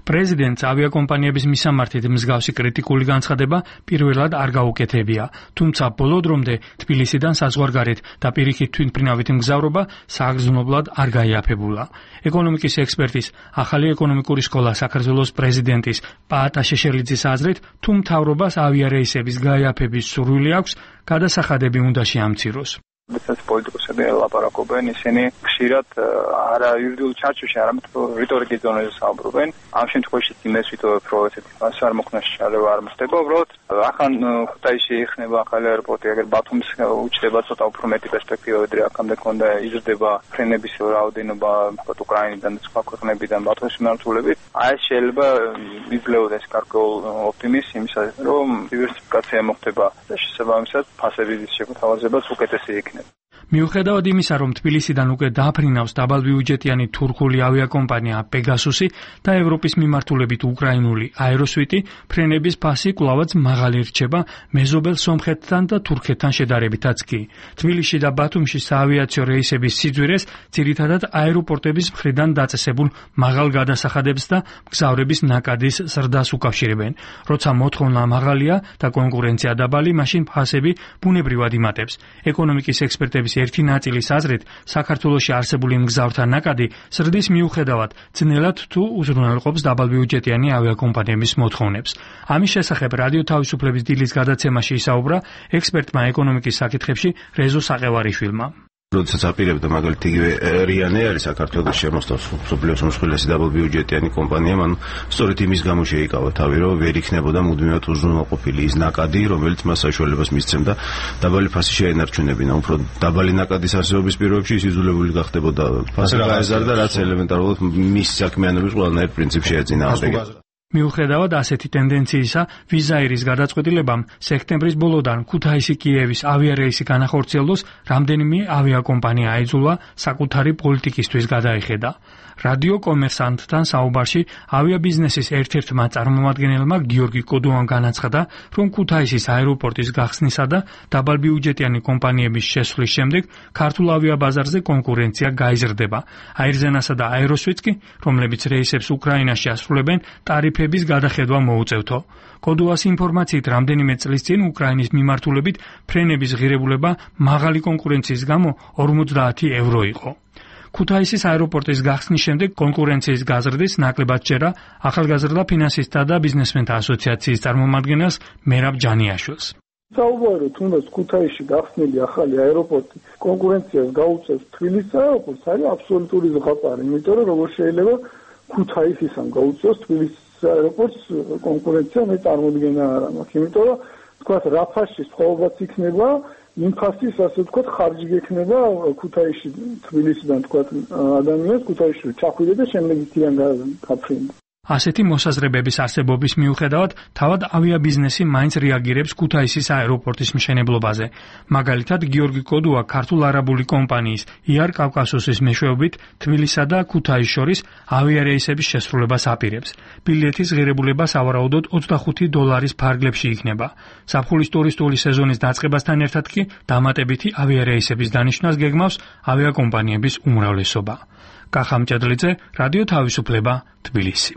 პრეზიდენტს ავიაკომპანიების მისამართით მსგავსი კრიტიკული განცხადება პირველად არ გაუკეთებია, თუმცა ბოლო დრომდე თბილისიდან საზღვარგარეთ და პირიქით თვითმფრინავით მგზავრობა საგრძნობლად არ გაიაფებულა. ეკონომიკის ექსპერტის ახალი ეკონომიკური სკოლა საქართველოს პრეზიდენტის პაატა შეშელიძის აზრით, თუ მთავრობას ავიარეისების გაიაფების სურვილი აქვს, გადასახადები უნდა შეამციროს. Business პოლიტიკოსები ლაპარაკობენ, ისინი ხშირად არა იურიდიულ ჩარჩოში, არამედ რიტორიკის ზონაზე საუბრობენ. ამ შემთხვევაში იმეს ვიტოვებ, რომ ესეთი მასა არ მოხდეს შარება არ მოხდება, უბრალოდ ახან ქუთაისში იხნება ახალი აეროპორტი, აგერ ბათუმის უჩდება ცოტა უფრო მეტი პერსპექტივა, ვიდრე აქამდე ქონდა, იზრდება ფრენების რაოდენობა უკრაინიდან და სხვა ქვეყნებიდან ბათუმის მიმართულებით. აი ეს შეიძლება იძლეოდეს გარკვეულ ოპტიმიზმს იმისა, რომ დივერსიფიკაცია მოხდება და შესაბამისად ფასების შეთავაზებაც უკეთესი იქნება. მიუხედავად იმისა, რომ თბილისიდან უკვე დააფრინავს დაბალბიუჯეტიანი თურქული ავიაკომპანია პეგასუსი და ევროპის მიმართულებით უკრაინული აეროსვიტი, ფრენების ფასი კვლავაც მაღალი რჩება მეზობელ სომხეთთან და თურქეთთან შედარებითაც კი. თბილისში და ბათუმში საავიაციო რეისების სიძვირეს ძირითადად აეროპორტების მხრიდან დაწესებულ მაღალ გადასახადებს და მგზავრების ნაკადის ზრდას უკავშირებენ. როცა მოთხოვნა მაღალია და კონკურენცია დაბალი, მაშინ ფასები ბუნებრივად იმატებს. ეკონომიკის ექსპერტების ერთი ნაწილის აზრით, საქართველოში არსებული მგზავრთა ნაკადი ზრდის მიუხედავად ძნელად თუ უზრუნველყოფს დაბალბიუჯეტიანი ავიაკომპანიების მოთხოვნებს. ამის შესახებ რადიო თავისუფლების დილის გადაცემაში ისაუბრა ექსპერტმა ეკონომიკის საკითხებში რეზო საყევარიშვილმა. როდესაც აპირებდა მაგალითად იგივე რიანე არის საქართველოს შემოსტავს მსოფლიოს უმსხვილესი დაბალბიუჯეტიანი კომპანია, მან სწორედ იმის გამო შეიკავა თავი, რომ ვერ იქნებოდა მუდმივად უზრუნველყოფილი ის ნაკადი, რომელიც მას საშუალებას მისცემდა დაბალი ფასი შეენარჩუნებინა. უფრო დაბალი ნაკადის არსებობის პირობებში ის იძულებული გახდებოდა ფასი გაეზარდა, რაც ელემენტარულად მის საქმიანობის ყველანაირ პრინციპს შეეწინააღმდეგება. მიუხედავად ასეთი ტენდენციისა, ვიზაირის გადაწყვეტილებამ სექტემბრის ბოლოდან ქუთაისი-კიევის ავიარეისი განახორციელოს რამდენიმე ავიაკომპანია აიძულა საკუთარი პოლიტიკისთვის გადაიხედა. რადიო კომერსანტთან საუბარში ავიაბიზნესის ერთ-ერთმა წარმომადგენელმა გიორგი კოდოამ განაცხადა, რომ ქუთაისის აეროპორტის გახსნისა და დაბალბიუჯეტიანი კომპანიების შესვლის შემდეგ ქართულ ავიაბაზარზე კონკურენცია გაიზრდება. აირზენასა და აეროსვიტს კი, რომლებიც რეისებს უკრაინაში ასრულებენ, ტარიფების გადახედვა მოუწევთო. კოდოას ინფორმაციით, რამდენიმე წლის წინ უკრაინის მიმართულებით ფრენების ღირებულება მაღალი კონკურენციის გამო 50 ევრო იყო. ქუთაისის აეროპორტის გახსნის შემდეგ კონკურენციის გაზრდის ნაკლებად ჯერა ახალგაზრდა ფინანსისტთა და ბიზნესმენთა ასოციაციის წარმომადგენელს მერაბ ჯანიაშვილს. საუბარი თუნდაც ქუთაისში გახსნილი ახალი აეროპორტი კონკურენციას გაუწევს თბილისის აეროპორტს, არის აბსოლუტური ზღაპარი, იმიტომ რომ როგორ შეიძლება ქუთაისისამ გაუწევს თბილისის აეროპორტს კონკურენცია, მე წარმოდგენა არ მაქვს, იმიტომ რომ თქვათ რაფაში სხვაობაც იქნება, ინფასის, ასე ვთქვათ, ხარჯი გექნება ქუთაისში, თბილისიდან ვთქვათ, ადამიანს ქუთაისში ჩახვიდა და შემდეგ ითიან გაფრინდა. ასეთი მოსაზრებების არსებობის მიუხედავად, თავად ავიაბიზნესი მაინც რეაგირებს ქუთაისის აეროპორტის მშენებლობაზე. მაგალითად, გიორგი კოდუა ქართულ არაბული კომპანიის იარ კავკასუსის მეშვეობით თბილისსა და ქუთაისს შორის ავიარეისების შესრულებას აპირებს. ბილეთის ღირებულება სავარაუდოდ $25 ფარგლებში იქნება. ზაფხულის ტურისტული სეზონის დაწყებასთან ერთად კი დამატებითი ავიარეისების დანიშვნას გეგმავს ავიაკომპანიების უმრავლესობა. კახამჭედლიძე, რადიო თავისუფლება, თბილისი.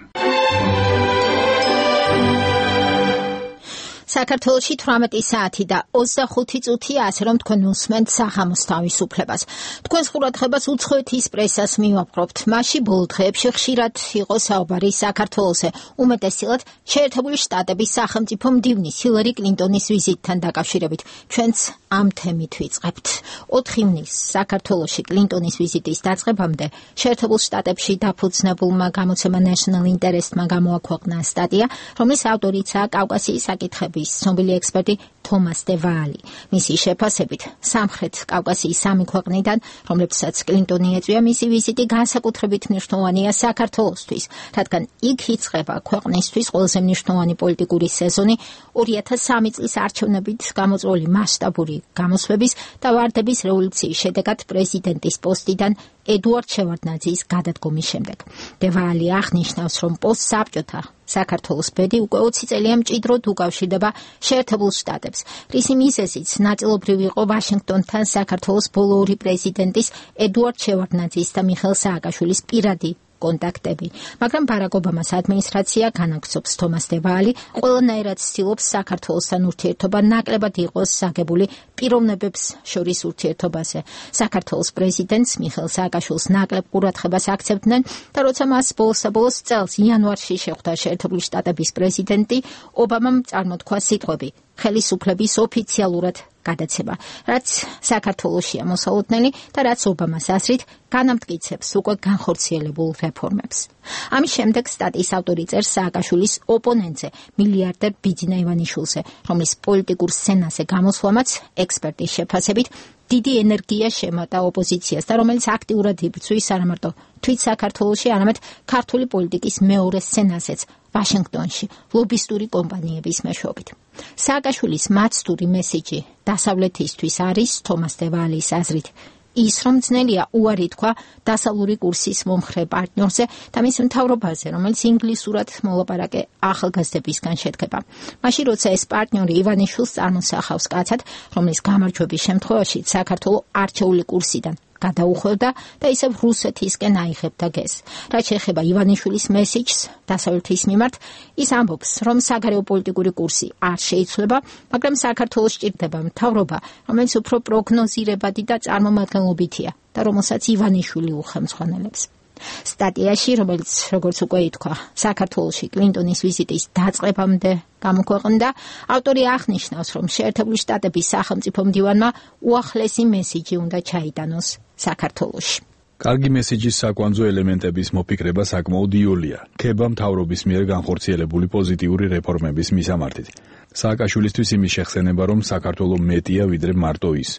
საქართველოში 18 საათი და 25 წუთია, ასე რომ თქვენ უსმენთ საღამოს თავისუფლებას. თქვენს ყურადღებას უცხოეთის პრესას მივაპყრობთ. მასში ბოლო დღეებში ხშირად იყო საუბარი საქართველოზე, უმეტესწილად შეერთებული შტატების სახელმწიფო მდივნის ჰილარი კლინტონის ვიზიტთან დაკავშირებით. ჩვენც ამ თემით ვიწყებთ. 4 ივნისს საქართველოში კლინტონის ვიზიტის დაწყებამდე შეერთებულ შტატებში დაფუძნებულმა გამოცემა National Interest-მა გამოაქვეყნა სტატია, რომლის ავტორიცაა კავკასიის საკითხების ცნობილი ექსპერტი თომას დე ვალი. მისი შეფასებით, სამხრეთ კავკასიის 3 ქვეყნიდან, რომლებსაც კლინტონი ეწვია, მისი ვიზიტი განსაკუთრებით მნიშვნელოვანია საქართველოსთვის, რადგან იქ იწყება ქვეყნისთვის ყველაზე მნიშვნელოვანი პოლიტიკური სეზონი 2003 წლის არჩევნებით გამოწვეული მასშტაბური გამოსვლების და ვარდების რევოლუციის შედეგად პრეზიდენტის პოსტიდან ედუარდ შევარდნაძის გადადგომის შემდეგ. დე ვალი აღნიშნავს, რომ პოსტსაბჭოთა საქართველოს ბედი უკვე 20 წელია მჭიდროდ უკავშირდება შეერთებულ შტატებს. რისი მიზეზიც ნაწილობრივ იყო ვაშინგტონთან საქართველოს ბოლო 2 პრეზიდენტის ედუარდ შევარდნაძის და მიხეილ სააკაშვილის პირადი კონტაქტები. მაგრამ ბარაკ ობამას ადმინისტრაცია განაგრძობს თომას დე ვალი, ყველანაირად ცდილობს საქართველოსთან ურთიერთობა ნაკლებად იყოს საგებული პიროვნებებს შორის ურთიერთობაზე. საქართველოს პრეზიდენტს მიხეილ სააკაშვილს ნაკლებ ყურადღებას აქცევდნენ და როცა მას ბოლოს წელს იანვარში შეხვდა შეერთებული შტატების პრეზიდენტი, ობამამ წარმოთქვა სიტყვები ხელისუფლების ოფიციალურად გადაცემა, რაც საქართველოშია მოსალოდნელი და რაც ობამას აზრით განამტკიცებს უკვე განხორციელებულ რეფორმებს. ამის შემდეგ სტატიის ავტორი წერს სააკაშვილის ოპონენტზე, მილიარდერ ბიძინა ივანიშვილზე, რომლის პოლიტიკურ სცენაზე გამოსვლამაც ექსპერტის შეფასებით დიდი ენერგია შემატა ოპოზიციას და რომელიც აქტიურად იბრძვის არამარტო თვით საქართველოში, არამედ ქართული პოლიტიკის მეორე სცენაზეც ვაშინგტონში, ლობისტური კომპანიების მეშვეობით. სააკაშვილის მაცდური მესიჯი დასავლეთისთვის არის თომას დე ვალის აზრით ის, რომ ძნელია უარი თქვა დასავლური კურსის მომხრე პარტნიორზე და მის მთავრობაზე, რომელიც ინგლისურად მოლაპარაკე ახალგაზრდებისგან შედგება. მაშინ, როცა ეს პარტნიორი ივანიშვილს წარმოსახავს კაცად, რომლის გამარჯვების შემთხვევაში საქართველო არჩეული კურსიდან გადაუხვევდა და ისევ რუსეთისკენ აიღებდა გეზს. რაც შეეხება ივანიშვილის მესიჯს დასავლეთის მიმართ, ის ამბობს, რომ საგარეო პოლიტიკური კურსი არ შეიცვლება, მაგრამ საქართველოს სჭირდება მთავრობა, რომელიც უფრო პროგნოზირებადი და წარმომადგენლობითია და რომელსაც ივანიშვილი უხელმძღვანელებს. სტატიაში, რომელიც როგორც უკვე ითქვა, საქართველოში კლინტონის ვიზიტის დაწყებამდე გამოქვეყნდა, ავტორი აღნიშნავს, რომ შეერთებული შტატების სახელმწიფო მდივანმა უახლესი მესიჯი უნდა ჩაიტანოს საქართველოში. კარგი მესიჯის საკვანძო ელემენტების მოფიქრება საკმაოდ იოლია, ქება მთავრობის მიერ განხორციელებული პოზიტიური რეფორმების მისამართით. სააკაშვილისთვის იმის შეხსენება, რომ საქართველო მეტია ვიდრე მარტო ის.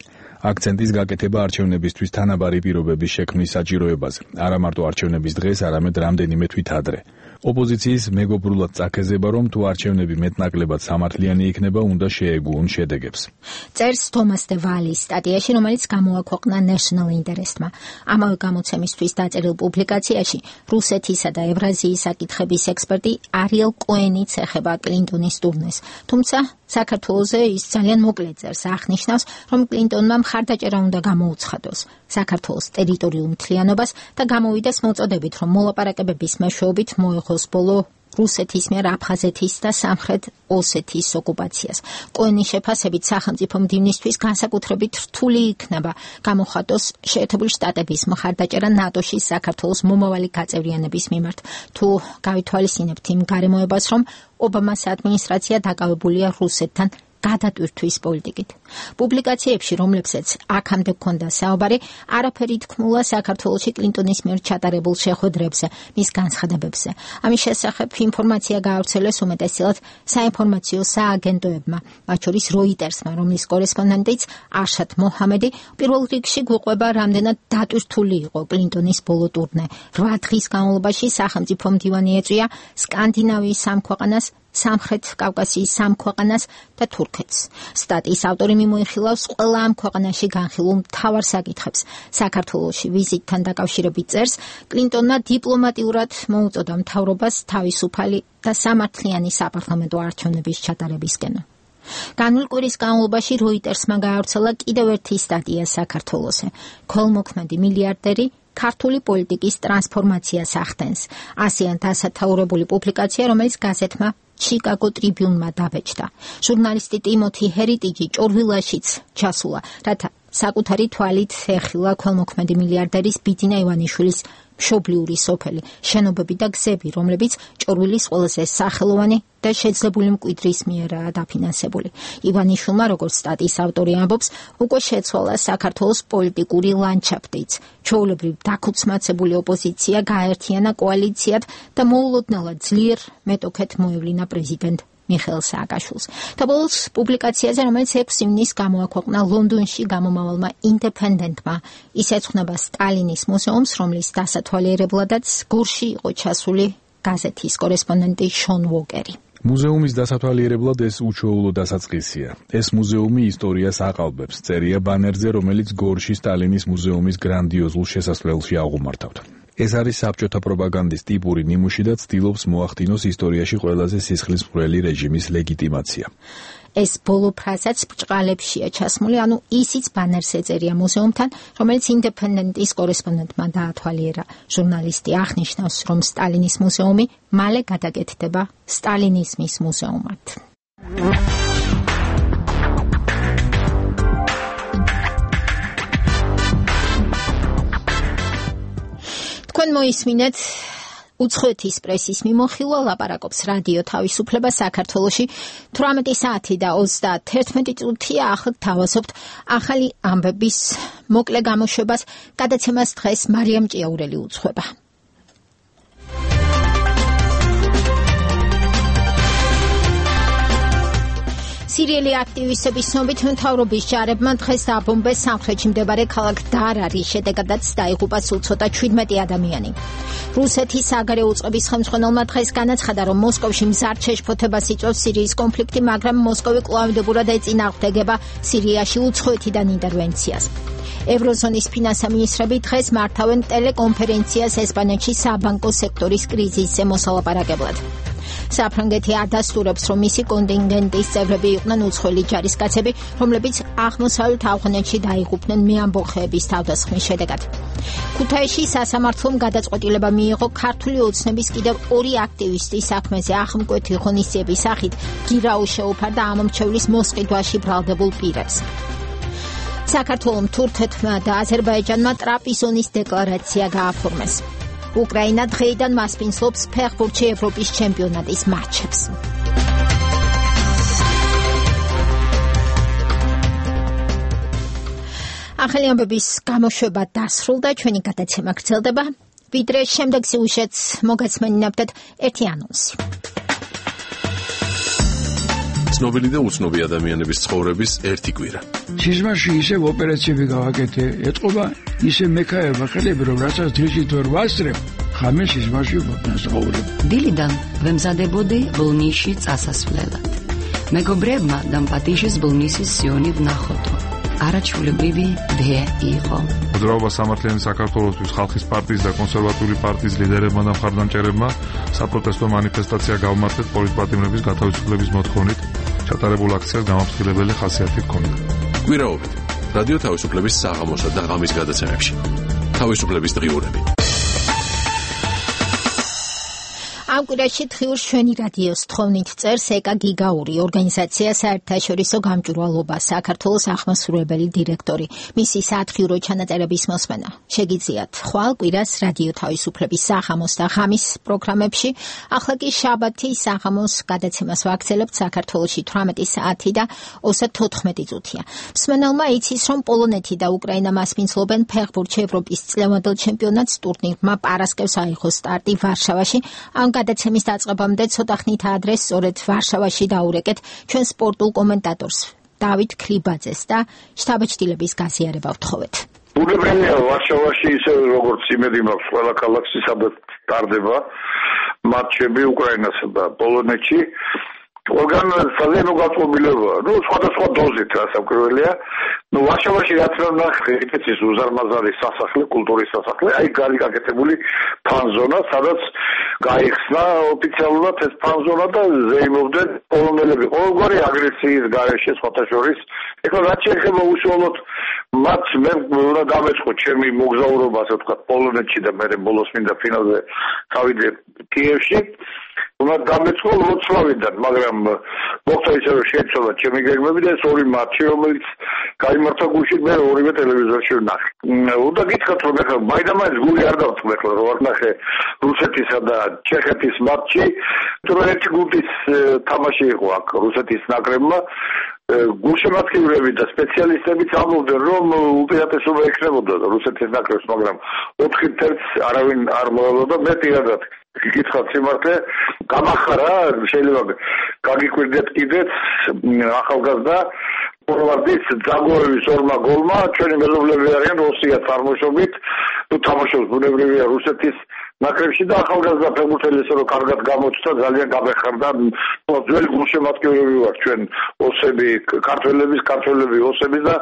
აქცენტის გაკეთება არჩევნებისთვის თანაბარი პირობების შექმნის საჭიროებაზე, არა მარტო არჩევნების დღეს, არამედ რამდენიმე თვით ადრე. ოპოზიციის მეგობრულად წაქეზება, რომ თუ არჩევნები მეტნაკლებად სამართლიანი იქნება, უნდა შეეგუონ შედეგებს. წერს თომას დე ვალის სტატიაში, რომელიც გამოაქვეყნა National Interest-მა. ამავე გამოცემისთვის დაწერილ პუბლიკაციაში რუსეთისა და ევრაზიის საკითხების ექსპერტი არიელ კოენიც ეხება კლინტონის ტურნეს. თუმცა საქართველოზე ის ძალიან მოკლედ წერს, აღნიშნავს, რომ კლინტონმა მხარდაჭერა უნდა გამოუცხადოს საქართველოს ტერიტორიულ მთლიანობას და გამოვიდეს მოწოდებით, რომ მოლაპარაკებების მეშვეობით მოეხოს ბოლო რუსეთის მიერ აფხაზეთის და სამხრეთ ოსეთის ოკუპაციას. კოენის შეფასებით სახელმწიფო მდივნისთვის განსაკუთრებით რთული იქნება გამოხატოს შეერთებული შტატების მხარდაჭერა ნატოში საქართველოს მომავალი გაწევრიანების მიმართ. თუ გავითვალისწინებთ იმ გარემოებას, რომ ობამას ადმინისტრაცია დაკავებულია რუსეთთან გადატვირთვის პოლიტიკით. პუბლიკაციებში, რომლებსაც აქამდე ჰქონდა საუბარი, არაფერი თქმულა საქართველოში კლინტონის მიერ ჩატარებულ შეხვედრებზე, მის განცხადებებზე. ამის შესახებ ინფორმაცია გაავრცელეს უმეტესწილად საინფორმაციო სააგენტოებმა, მათ შორის Reuters-მა, რომლის კორესპონდენტიც არშად მოჰამედი პირველ რიგში გვყვება, რამდენად დატვირთული იყო კლინტონის ბოლო ტურნე. 8 დღის განმავლობაში სახელმწიფო მდივანი ეწვია სკანდინავიის 3 ქვეყანას, სამხრეთ კავკასიის 3 ქვეყანას და თურქეთს. სტატიის ავტორი მიმოიხილავს ყველა ამ ქვეყანაში განხილულ მთავარ საკითხებს. საქართველოში ვიზიტთან დაკავშირებით წერს, კლინტონმა დიპლომატიურად მოუწოდა მთავრობას თავისუფალი და სამართლიანი საპარლამენტო არჩევნების ჩატარებისკენ. განვლ კვირის განმავლობაში Reuters-მა გაავრცელა კიდევ ერთი სტატია საქართველოზე. ქველმოქმედი მილიარდერი ქართული პოლიტიკის ტრანსფორმაციას ახდენს. ასეან დასათაურებული პუბლიკაცია, რომელიც გაზეთმა Chicago Tribune-მა დაბეჭდა. ჟურნალისტი ტიმოთი ჰერიტიჯი ჭორვილაშიც ჩასულა, რათა საკუთარი თვალით ეხილა ქველმოქმედი მილიარდერის ბიძინა ივანიშვილის მშობლიური სოფელი, შენობები და გზები, რომლებიც ჭორვილის ყველაზე სახელოვანი და შეძლებული მკვიდრის მიერაა დაფინანსებული. ივანიშვილმა, როგორც სტატიის ავტორი ამბობს, უკვე შეცვალა საქართველოს პოლიტიკური ლანდშაფტიც. ჩვეულებრივ დაქუცმაცებული ოპოზიცია გააერთიანა კოალიციად და მოულოდნელად ძლიერ მეტოქეთ მოევლინა პრეზიდენტ მიხეილ სააკაშვილს. და ბოლოს პუბლიკაციაზე, რომელიც 6 ივნისს გამოაქვეყნა ლონდონში გამომავალმა ინდეპენდენტმა, ის ეძღვნება სტალინის მუზეუმს, რომლის დასათვალიერებლადაც გორში იყო ჩასული გაზეთის კორესპონდენტი შონ ვოკერი. მუზეუმის დასათვალიერებლად ეს უჩვეულო დასაწყისია. ეს მუზეუმი ისტორიას აყალბებს, წერია ბანერზე, რომელიც გორში სტალინის მუზეუმის გრანდიოზულ შესასვლელში აღუმართავთ. ეს არის საბჭოთა პროპაგანდის ტიპური ნიმუში და ცდილობს მოახდინოს ისტორიაში ყველაზე სისხლისმღვრელი რეჟიმის ლეგიტიმაცია. ეს ბოლო ფრაზაც ბრჭყალებშია ჩასმული, ანუ ისიც ბანერს ეწერია მუზეუმთან, რომელიც ინდეპენდენტის კორესპონდენტმა დაათვალიერა. ჟურნალისტი აღნიშნავს, რომ სტალინის მუზეუმი მალე გადაკეთდება სტალინიზმის მუზეუმად. თქვენ მოისმინეთ უცხოეთის პრესის მიმოხილვა, ლაპარაკობს რადიო თავისუფლება საქართველოში 18 საათი და 31 წუთია. ახლა თავაზობთ ახალი ამბების მოკლე გამოშვებას. გადაცემას დღეს მარიამ ჭიაურელი უძღვება. სირიელი აქტივისტების ცნობით მთავრობის ჯარებმა დღეს დაბომბეს სამხრეთში მდებარე ქალაქ დარარის, შედეგადაც დაიღუპა სულ ცოტა 17 ადამიანი. რუსეთის საგარეო უწყების ხელმძღვანელმა დღეს განაცხადა, რომ მოსკოვში მზარდ შეშფოთებას იწვევს სირიის კონფლიქტი, მაგრამ მოსკოვი კვლავინდებურად ეწინააღმდეგება სირიაში უცხოეთიდან ინტერვენციას. ევროზონის ფინანსთა მინისტრები დღეს მართავენ ტელეკონფერენციას ესპანეთში საბანკო სექტორის კრიზისზე მოსალაპარაკებლად. საფრანგეთი ადასტურებს, რომ მისი კონტინგენტის წევრები იყვნენ უცხოელი ჯარისკაცები, რომლებიც აღმოსავლეთ ავღანეთში დაიღუპნენ მეამბოხეების თავდასხმის შედეგად. ქუთაისში სასამართლომ გადაწყვეტილება მიიღო ქართული ოცნების კიდევ 2 აქტივისტის საქმეზე ახმკვეთი ღონისძიების სახით გირაუ შეუფარდა ამომრჩევლის მოსყიდვაში ბრალდებულ პირებს. საქართველომ თურქეთმა და აზერბაიჯანმა ტრაპიზონის დეკლარაცია გააფორმეს. უკრაინა დღეიდან მასპინძლობს ფეხბურთში ევროპის ჩემპიონატის მატჩებს. ახალი ამბების გამოშვება დასრულდა, ჩვენი გადაცემა გრძელდება. ვიდრე შემდეგ სიუჟეტს მოგაცმენინებდეთ ერთი ანონსი. ცნობილი და უცნობი ადამიანების ცხოვრების ერთი კვირა. სიზმარში ისევ ოპერაციები გავაკეთე, ეთყობა ისე მექაერმა ხელები, რომ რასაც დღისით ვერ ვასწრებ, ხამე სიზმარში ვაკნასაურებ. დილიდან ვემზადებოდი ბოლნისში წასასვლელად. მეგობრებმა დამპატიშის ბოლნისის სიონი ვნახოთო. არაჩვეულებრივი დე იყო. მოძრაობა სამართლიანი საქართველოსთვის ხალხის პარტიის და კონსერვატიული პარტიის ლიდერებმა და მხარდამჭერებმა საპროტესტო მანიფესტაცია გავმართეთ პოლიტპატიმრების გათავისუფლების მოთხოვნით. ჩატარებულ აქციას გამაფრთხილებელი ხასიათი ჰქონდა. გვირაობით რადიო თავისუფლების საღამოსა და ღამის გადაცემებში. თავისუფლების დღიურები. ამ კვირაში თხიურს ჩვენი რადიოს თხოვნით წერს ეკა გიგაური, ორგანიზაცია საერთაშორისო გამჭვირვალობა, საქართველოს აღმასრულებელი დირექტორი. მისი სათხიურო ჩანაწერების მოსმენა შეგიძლიათ ხვალ კვირას რადიო თავისუფლების საღამოს და ღამის პროგრამებში. ახლა კი შაბათი საღამოს გადაცემას ვაგრძელებთ საქართველოში 18 საათი და 34 წუთია. მსმენელმა იცის, რომ პოლონეთი და უკრაინა მასპინძლობენ ფეხბურთში ევროპის წლევანდელ ჩემპიონატს ტურნირმა პარასკევს აიღო სტარტი ვარშავაში. ამ გადაცემის დაწყებამდე ცოტა ხნით ადრე სწორედ ვარშავაში დაურეკეთ ჩვენ სპორტულ კომენტატორს დავით ქლიბაძეს და შთაბეჭდილების გაზიარება ვთხოვეთ. ბუნებრივია ვარშავაში ისე როგორც იმედი მაქვს ყველა ქალაქში სადაც ტარდება მატჩები უკრაინასა და პოლონეთში. ორგან ძალიან უგანწყობილებაა. სხვადასხვა დოზით რასაკვირველია. ვარშავაში რაც ნახე, ეთის უზარმაზარი სასახლე, კულტურის სასახლე, აი გარი გაკეთებული ფანზონა, სადაც გაიხსნა ოფიციალურად ეს ფანზონა და ზეიმობდნენ პოლონელები ყოველგვარი აგრესიის გარეშე სხვათა შორის. ეხლა რაც შეეხება უშუალოდ მათ მე უნდა დამეწყო ჩემი მოგზაურობა, ასე ვთქვათ, პოლონეთში და მე ბოლოს მინდა ფინალზე წავიდე კიევში. უნდა დამეწყო ვროცლავიდან, მაგრამ მოხდა ისე რომ შეეცვალა ჩემი გეგმები და ეს ორი მატჩი, რომელიც გაიმართა გუშინ მე ორივე ტელევიზორში ვნახე. უნდა გითხრათ რომ ეხლა მაინც გული არ დავწყვეტ რომ ვარ ნახე რუსეთისა და ჩეხეთის მატჩი, თუმცა ერთი გუნდის თამაში იყო აქ რუსეთის ნაკრებმა. გულშემატკივრები და სპეციალისტებიც ამბობდნენ რომ უპირატესობა ექნებოდა რუსეთის ნაკრებს, მაგრამ 4-1 არავინ არ მოელოდა. მე პირადად გითხრათ სიმართლე, გამახარა, შეიძლება გაგიკვირდეთ კიდეც ახალგაზრდა ფორვარდის ძაგოევის ორმა გოლმა, ჩვენი მეზობლები არიან რუსია წარმოშობით, თამაშობს ბუნებრივია რუსეთის ნაკრებში და ახალგაზრდა ფეხბურთელი ისე რომ კარგად გამოჩნდა, ძალიან გამეხარდა. ძველი გულშემატკივრები ვართ ჩვენ ოსები, ქართველები ოსები და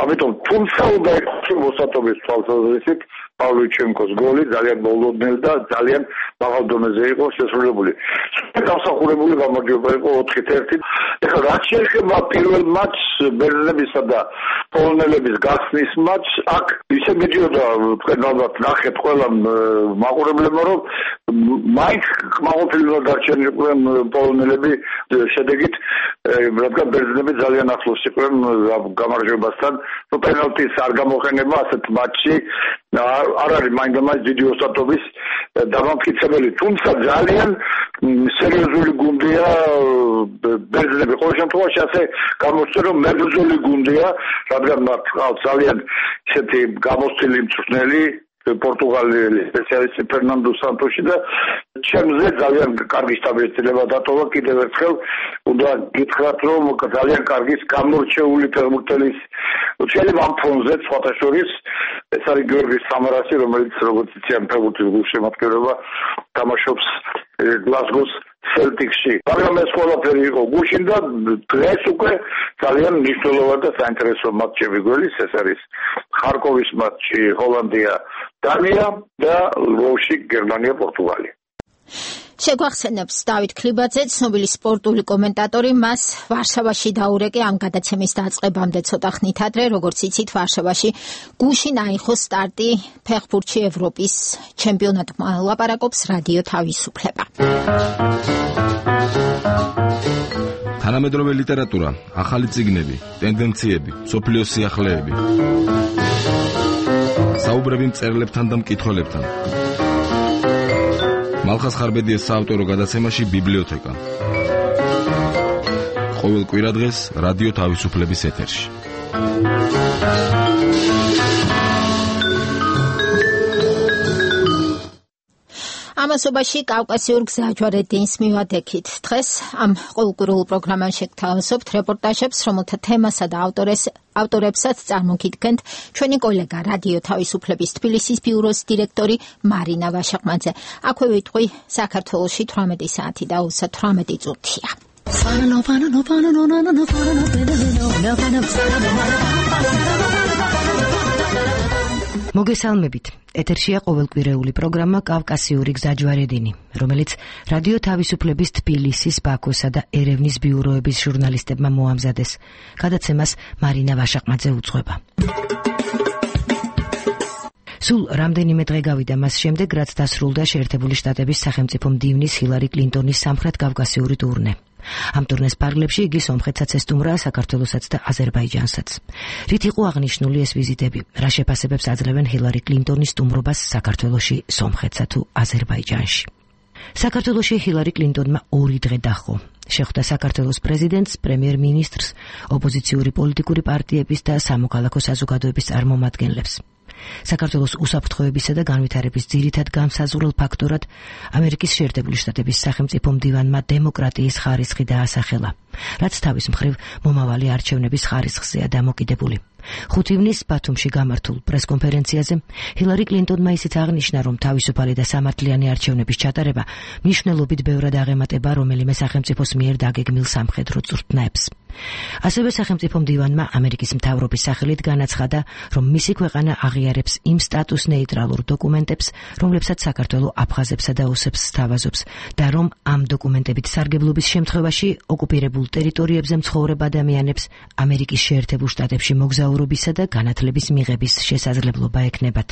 ამიტომ თუმცა უნდა იყოს მოსატობის თვალსაზრისით პავლუჩენკოს გოლი ძალიან მოლოდნელი და ძალიან მაღალ დონეზე იყო შესრულებული. დამსახურებული გამარჯვება იყო 4-1. ეხლა რაც შეეხება პირველ მატჩს ბერძნებისა და პოლონელების გახსნის მატჩს, აქ ისე მიდიოდა თქვენ ალბათ ნახეთ ყველა მაყურებლებმა რომ მაინც კმაყოფილება დარჩენიყვნენ პოლონელები შედეგით, რადგან ბერძნები ძალიან ახლოს იყვნენ გამარჯვებასთან. პენალტის არ გამოყენება ასეთ მატჩში არ არის მაინდამაინც დიდი ოსტატობის დამამტკიცებელი, თუმცა ძალიან სერიოზული გუნდია ბერძნები. ყოველ შემთხვევაში ასე გამოსწორ რომ მებრძოლი გუნდია, რადგან მათ ყავს ძალიან ისეთი გამოცდილი მწვრთნელი პორტუგალიელი სპეციალისტი ფერნანდო სანტოში და ჩემზე ძალიან კარგი შტაბ-ეწინება დატოვა. კიდევ ერთხელ უნდა გითხრათ რომ ძალიან კარგი გამორჩეული ფეხბურთელის შეიძლება ამ ფონზე სხვათა შორის ეს არის გიორგი სამარასი, რომელიც როგორც იციან ფეხბურთის გულშემატკივრობა თამაშობს გლასგოს სელტიკსში. მაგრამ ეს ყველაფერი იყო გუშინ და დღეს უკვე ძალიან მნიშვნელოვანი და საინტერესო მატჩები გველის. ეს არის ხარკოვის მატჩი ჰოლანდია დანია და ლვოვში გერმანია პორტუგალია. შეგვახსენებს დავით ქლიბაძე, ცნობილი სპორტული კომენტატორი. მას ვარშავაში დაურეკე ამ გადაცემის დაწყებამდე ცოტა ხნით ადრე, როგორც იცით, ვარშავაში გუშინ აიღო სტარტი ფეხბურთში ევროპის ჩემპიონატმა. ლაპარაკობს რადიო თავისუფლება. თანამედროვე ლიტერატურა, ახალი წიგნები, ტენდენციები, სოფლიოს სიახლეები. საუბრები მწერლებთან და მკითხველებთან. მალხას ხარბედიას საავტორო გადაცემაში ბიბლიოთეკა. ყოველ კვირადღეს რადიო თავისუფლების ეთერში. ამასობაში კავკასიურ გზაჯვარედინს მივადექით. დღეს ამ ყოველკვირულ პროგრამაში გთავაზობთ რეპორტაჟებს, რომელთა თემასა და ავტორებსაც წარმოგიდგენთ ჩვენი კოლეგა რადიო თავისუფლების თბილისის ბიუროს დირექტორი მარინა ვაშაყმაძე. აქვე ვიტყვი საქართველოში 18 საათი და 38 წუთია. მოგესალმებით. ეთერშია ყოველკვირეული პროგრამა კავკასიური გზაჯვარედინი, რომელიც რადიო თავისუფლების თბილისის, ბაქოსა და ერევნის ბიუროების ჟურნალისტებმა მოამზადეს. გადაცემას მარინა ვაშაყმაძე უძღვება. სულ რამდენიმე დღე გავიდა მას შემდეგ, რაც დასრულდა შეერთებული შტატების სახელმწიფო მდივნის ჰილარი კლინტონის სამხრეთ კავკასიური ტურნე. ამ ტურნეს პარლებში იგი სომხეთსაც ესტუმრა, საქართველოსაც და აზერბაიჯანსაც. რით იყო აღნიშნული ეს ვიზიტები? რა შეფასებებს აძლევენ ჰილარი კლინტონის სტუმრობას საქართველოში, სომხეთსა თუ აზერბაიჯანში? საქართველოში ჰილარი კლინტონმა 2 დღე დაჰყო. შეხვდა საქართველოს პრეზიდენტს, პრემიერ-მინისტრს, ოპოზიციური პოლიტიკური პარტიების და სამოქალაქო საზოგადოების წარმომადგენლებს. საქართველოს უსაფრთხოებისა და განვითარების ძირითად განსაზღვრულ ფაქტორად ამერიკის შეერთებული შტატების სახელმწიფო მდივანმა დემოკრატიის ხარისხი დაასახელა, რაც თავის მხრივ მომავალი არჩევნების ხარისხზეა დამოკიდებული. 5 ივნისს ბათუმში გამართულ პრესკონფერენციაზე ჰილარი კლინტონმა ისიც აღნიშნა, რომ თავისუფალი და სამართლიანი არჩევნების ჩატარება მნიშვნელობით ბევრად აღემატება რომელიმე სახელმწიფოს მიერ დაგეგმილ სამხედრო წვრთნაებს. ასევე სახელმწიფო მდივანმა ამერიკის მთავრობის სახელით განაცხადა, რომ მისი ქვეყანა აღიარებს იმ სტატუს ნეიტრალურ დოკუმენტებს, რომლებსაც საქართველო აფხაზებსა და ოსებს სთავაზობს, და რომ ამ დოკუმენტებით სარგებლობის შემთხვევაში ოკუპირებულ ტერიტორიებზე მცხოვრებ ადამიანებს ამერიკის შეერთებულ შტატებში მოგზაურობისა და განათლების მიღების შესაძლებლობა ექნებათ.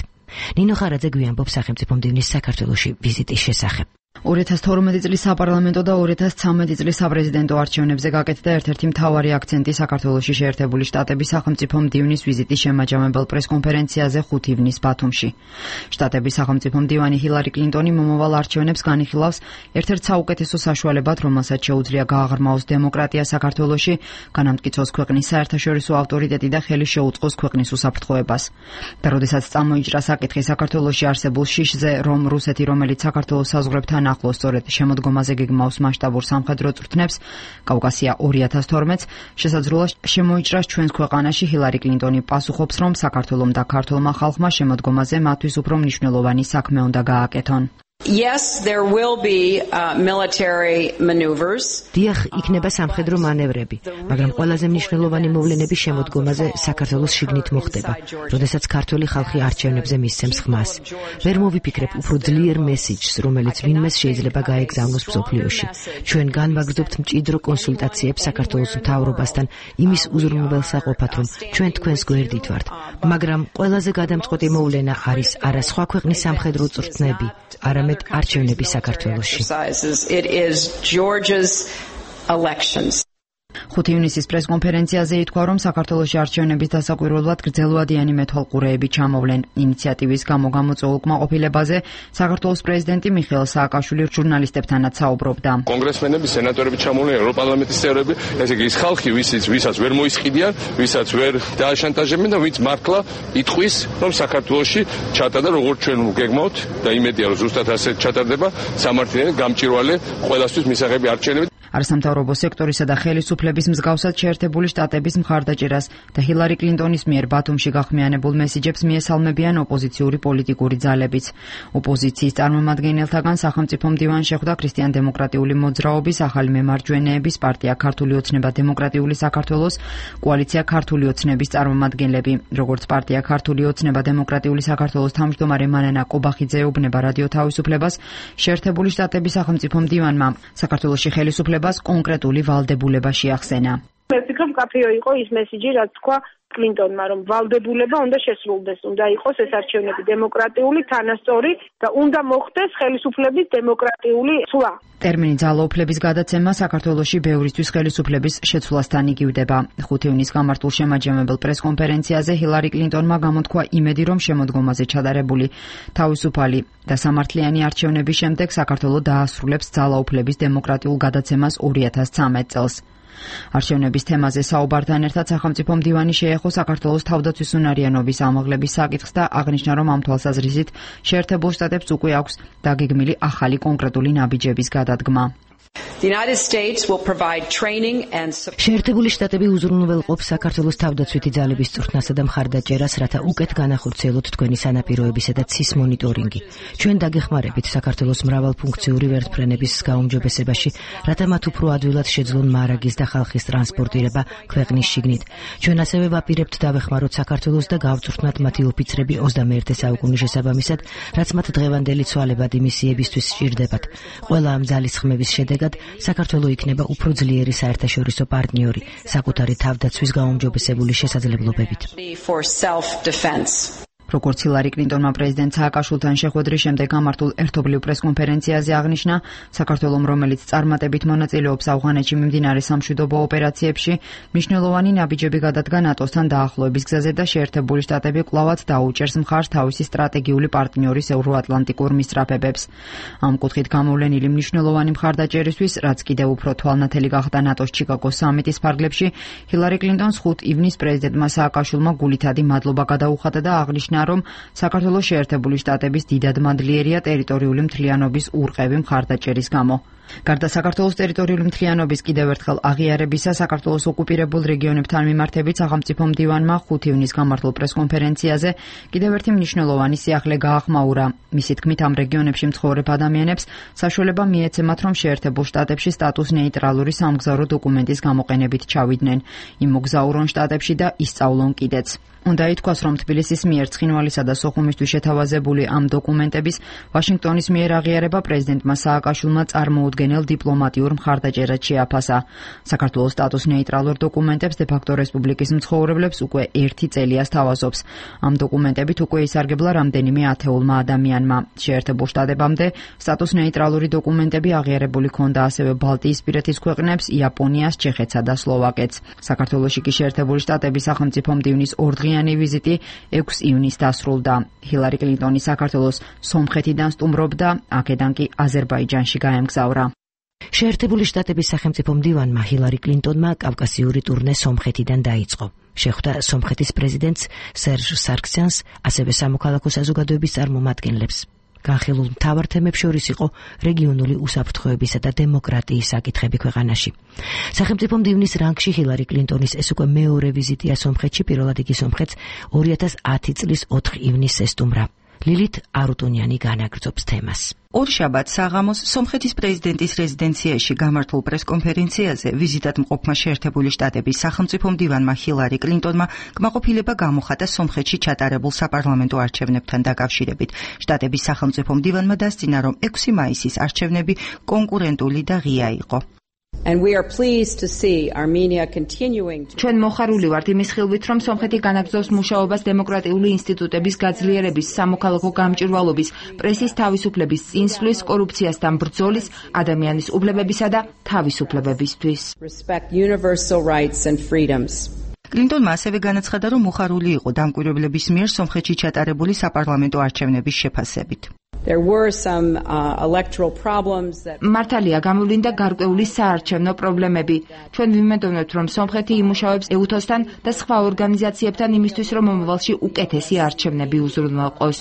ნინო ხარაძე გვიანბობს სახელმწიფო მდივნის საქართველოში ვიზიტის შესახებ. 2012 წლის საპარლამენტო და 2013 წლის საპრეზიდენტო არჩევნებზე გაკეთდა ერთ-ერთი მთავარი აქცენტი საქართველოში შეერთებული შტატების სახელმწიფო მდივნის ვიზიტის შემაჯამებელ პრესკონფერენციაზე 5 ივნისს ბათუმში. შტატების სახელმწიფო მდივანი ჰილარი კლინტონი მომავალ არჩევნებს განიხილავს ერთ-ერთ საუკეთესო საშუალებად, რომელსაც შეუძლია გააღრმაოს დემოკრატია საქართველოში, განამტკიცოს ქვეყნის საერთაშორისო ავტორიტეტი და ხელი შეუწყოს ქვეყნის უსაფრთხოებას. და როდესაც წამოიჭრა საკითხი საქართველოში არსებულ შიშზე, რომ რუსეთი, რომელიც საქართველოს საზღვრებთან ახლოს სწორედ შემოდგომაზე გეგმავს მასშტაბურ სამხედრო წვრთნებს, კავკასია 2012-ს შესაძლოა შემოიჭრას ჩვენს ქვეყანაში, ჰილარი კლინტონი პასუხობს, რომ საქართველომ და ქართულმა ხალხმა შემოდგომაზე მათთვის უფრო მნიშვნელოვანი საქმე უნდა გააკეთონ. Yes, there will be military maneuvers. დიახ, იქნება სამხედრო მანევრები, მაგრამ ყველაზე მნიშვნელოვანი მოვლენები შემოდგომაზე საქართველოს შიგნით მოხდება, როდესაც ქართველი ხალხი არჩევნებზე მისცემს ხმას. ვერ მოვიფიქრებ უფრო ძლიერ მესიჯს, რომელიც ვინმეს შეიძლება გაეგზავნოს მსოფლიოში. ჩვენ განვაგრძობთ მჭიდრო კონსულტაციებს საქართველოს მთავრობასთან იმის უზრუნველსაყოფად, რომ ჩვენ თქვენს გვერდით ვართ. მაგრამ ყველაზე გადამწყვეტი მოვლენა არის არა სხვა ქვეყნის სამხედრო წვრთნები, არამედ არჩევნები საქართველოში. It is Georgia's elections. 5 ივნისის პრესკონფერენციაზე ითქვა, რომ საქართველოში არჩევნების დასაკვირვებლად გრძელვადიანი მეთვალყურეები ჩამოვლენ. ინიციატივის გამო გამოწვეულ კმაყოფილებაზე საქართველოს პრეზიდენტი მიხეილ სააკაშვილი ჟურნალისტებთანაც საუბრობდა. კონგრესმენები, სენატორები ჩამოვლენ, ევროპარლამენტის წევრები, ესე იგი ის ხალხი, ვისაც ვერ მოისყიდიან, ვისაც ვერ დააშანტაჟებენ და ვინც მართლა იტყვის, რომ საქართველოში ჩატარდა როგორც ჩვენ გეგმავთ და იმედია, რომ ზუსტად ასე ჩატარდება სამართლიანი, გამჭვირვალე, ყველასთვის მისაღები არჩევნები. არასამთავრობო სექტორისა და ხელისუფლების მსგავსად შეერთებული შტატების მხარდაჭერას და ჰილარი კლინტონის მიერ ბათუმში გახმიანებულ მესიჯებს მიესალმებიან ოპოზიციური პოლიტიკური ძალებიც. ოპოზიციის წარმომადგენელთაგან სახელმწიფო მდივანს შეხვდა ქრისტიან-დემოკრატიული მოძრაობის, ახალი მემარჯვენეების პარტია ქართული ოცნება დემოკრატიული საქართველოს, კოალიცია ქართული ოცნების წარმომადგენლები. როგორც პარტია ქართული ოცნება დემოკრატიული საქართველოს თავმჯდომარე მანანა კობახიძე ეუბნება რადიო თავისუფლებას, შეერთებული შტატების სახელმწიფო მდივანმა საქართველოში ხელისუფლება კონკრეტული ვალდებულება შეახსენა. მე ვფიქრობ, კაფეო იყო ის მესიჯი, რაც თქვა კლინტონმა, რომ ვალდებულება უნდა შესრულდეს, უნდა იყოს ეს არჩევნები დემოკრატიული, თანასწორი და უნდა მოხდეს ხელისუფლების დემოკრატიული ცვლა. ტერმინი ძალაუფლების გადაცემა საქართველოში ბევრისთვის ხელისუფლების შეცვლასთან იგივდება. 5 ივნისს გამართულ შემაჯამებელ პრესკონფერენციაზე ჰილარი კლინტონმა გამოთქვა იმედი, რომ შემოდგომაზე ჩატარებული თავისუფალი და სამართლიანი არჩევნების შემდეგ საქართველო დაასრულებს ძალაუფლების დემოკრატიულ გადაცემას 2013 წელს. არჩევნების თემაზე საუბართან ერთად სახელმწიფო მდივანი შეეხო საქართველოს თავდაცვის უნარიანობის ამაღლების საკითხს და აღნიშნა, რომ ამ თვალსაზრისით შეერთებულ შტატებს უკვე აქვს დაგეგმილი ახალი კონკრეტული ნაბიჯების გადადგმა. The United States will provide training and შეერთებული შტატები უზრუნველყოფს საქართველოს თავდაცვითი ძალების წვრთნასა და მხარდაჭერას, რათა უკეთ განახორციელოთ თქვენი სანაპიროებისა და ცის მონიტორინგი. ჩვენ დაგეხმარებით საქართველოს მრავალფუნქციური ვერტმფრენების გაუმჯობესებაში, რათა მათ უფრო ადვილად შეძლონ მარაგის და ხალხის ტრანსპორტირება ქვეყნის შიგნით. ჩვენ ასევე ვაპირებთ დავეხმაროთ საქართველოს და გავწვრთნათ მათი ოფიცრები 21 საუკუნის შესაბამისად, რაც მათ დღევანდელი ცვალებადი მისიებისთვის სჭირდებათ. ყველა ამ ძალის ხმების შედეგად საქართველო იქნება უფრო ძლიერი საერთაშორისო პარტნიორი საკუთარი თავდაცვის გაუმჯობესებული შესაძლებლობებით. როგორც ჰილარი კლინტონმა პრეზიდენტ სააკაშვილთან შეხვედრის შემდეგ გამართულ ერთობლივ პრესკონფერენციაზე აღნიშნა, საქართველომ, რომელიც წარმატებით მონაწილეობს ავღანეთში მიმდინარე სამშვიდობო ოპერაციებში, მნიშვნელოვანი ნაბიჯები გადადგა ნატოსთან დაახლოების გზაზე და შეერთებული შტატები კვლავაც დაუჭერს მხარს თავისი სტრატეგიული პარტნიორის ევროატლანტიკურ მისწრაფებებს. ამ კუთხით გამოვლენილი მნიშვნელოვანი მხარდაჭერისთვის, რაც კიდევ უფრო თვალნათელი გახდა ნატოს ჩიკაგოს სამიტის ფარგლებში, ჰილარი კლინტონს 5 ივნის პრეზიდენტმა სააკაშვილმა გულითადი მადლობა გადაუხადა და აღნიშნა, რომ საქართველოს შეერთებული შტატების დიდად მადლიერია ტერიტორიული მთლიანობის ურყევი მხარდაჭერის გამო. გარდა საქართველოს ტერიტორიული მთლიანობის კიდევ ერთხელ აღიარებისა, საქართველოს ოკუპირებულ რეგიონებთან მიმართებით სახელმწიფო მდივანმა 5 ივნის გამართულ პრესკონფერენციაზე კიდევ ერთი მნიშვნელოვანი სიახლე გაახმაურა. მისი თქმით, ამ რეგიონებში მცხოვრებ ადამიანებს საშუალება მიეცემათ, რომ შეერთებულ შტატებში სტატუს ნეიტრალური სამგზავრო დოკუმენტის გამოყენებით ჩავიდნენ. იმ მოგზაურონ შტატებში და ისწავლონ კიდეც. უნდა ითქვას, რომ თბილისის მიერ ცხინვალისა და სოხუმისთვის შეთავაზებული ამ დოკუმენტების ვაშინგტონის მიერ აღიარება პრეზიდენტმა სააკაშვილმა წარმოუდგენელ დიპლომატიურ მხარდაჭერად შეაფასა. საქართველოს სტატუს ნეიტრალურ დოკუმენტებს დე-ფაქტო რესპუბლიკის მცხოვრებლებს უკვე 1 წელი ასთავაზობს. ამ დოკუმენტებით უკვე ისარგებლა რამდენიმე ათეულმა ადამიანმა. შეერთებულ შტატებამდე სტატუს ნეიტრალური დოკუმენტები აღიარებული ჰქონდა ასევე ბალტიისპირეთის ქვეყნებს, იაპონიას, ჩეხეთსა და სლოვაკეთს. საქართველოში კი შეერთებული შტატების სახელმწიფო მდივნის ორდღიანი ვიზიტი 6 ივნისს დასრულდა. ჰილარი კლინტონი საქართველოს სომხეთიდან სტუმრობდა, აქედან კი აზერბაიჯანში გაემგზავრა. შეერთებული შტატების სახელმწიფო მდივანმა ჰილარი კლინტონმა კავკასიური ტურნე სომხეთიდან დაიწყო. შეხვდა სომხეთის პრეზიდენტს სერჟ სარქსიანს, ასევე სამოქალაქო საზოგადოების წარმომადგენლებს. განხილულ მთავარ თემებს შორის იყო რეგიონული უსაფრთხოებისა და დემოკრატიის საკითხები ქვეყანაში. სახელმწიფო მდივნის რანგში ჰილარი კლინტონის ეს უკვე მეორე ვიზიტია სომხეთში, პირველად იგი სომხეთს 2010 წლის 4 ივნისს ესტუმრა. ლილით არუტუნიანი განაგრძობს თემას. ორშაბათს საღამოს სომხეთის პრეზიდენტის რეზიდენციაში გამართულ პრესკონფერენციაზე ვიზიტად მყოფმა შეერთებული შტატების სახელმწიფო მდივანმა ჰილარი კლინტონმა კმაყოფილება გამოხატა სომხეთში ჩატარებულ საპარლამენტო არჩევნებთან დაკავშირებით. შტატების სახელმწიფო მდივანმა დასძინა, რომ 6 მაისის არჩევნები კონკურენტული და ღია იყო. And we are pleased to see Armenia continuing to ჩვენ მოხარული ვართ იმის ხილვით, რომ სომხეთი განაგრძობს მუშაობას დემოკრატიული ინსტიტუტების გაძლიერების, სამოქალაქო გამჭვირვალობის, პრესის თავისუფლების წინსვლის, კორუფციასთან ბრძოლის, ადამიანის უფლებებისა და თავისუფლებებისთვის. respect universal rights and freedoms. კლინტონმა ასევე განაცხადა, რომ მოხარული იყო დამკვირვებლების მიერ სომხეთში ჩატარებული საპარლამენტო არჩევნების შეფასებით. There were some electoral problems that მართალია გამოვლინდა გარკვეული საარჩევნო პრობლემები. ჩვენ ვიმედოვნებთ, რომ სომხეთი იმუშავებს EUTHOS-თან და სხვა ორგანიზაციებთან იმისთვის, რომ მომავალში უკეთესი არჩევნები უზრუნველყოს.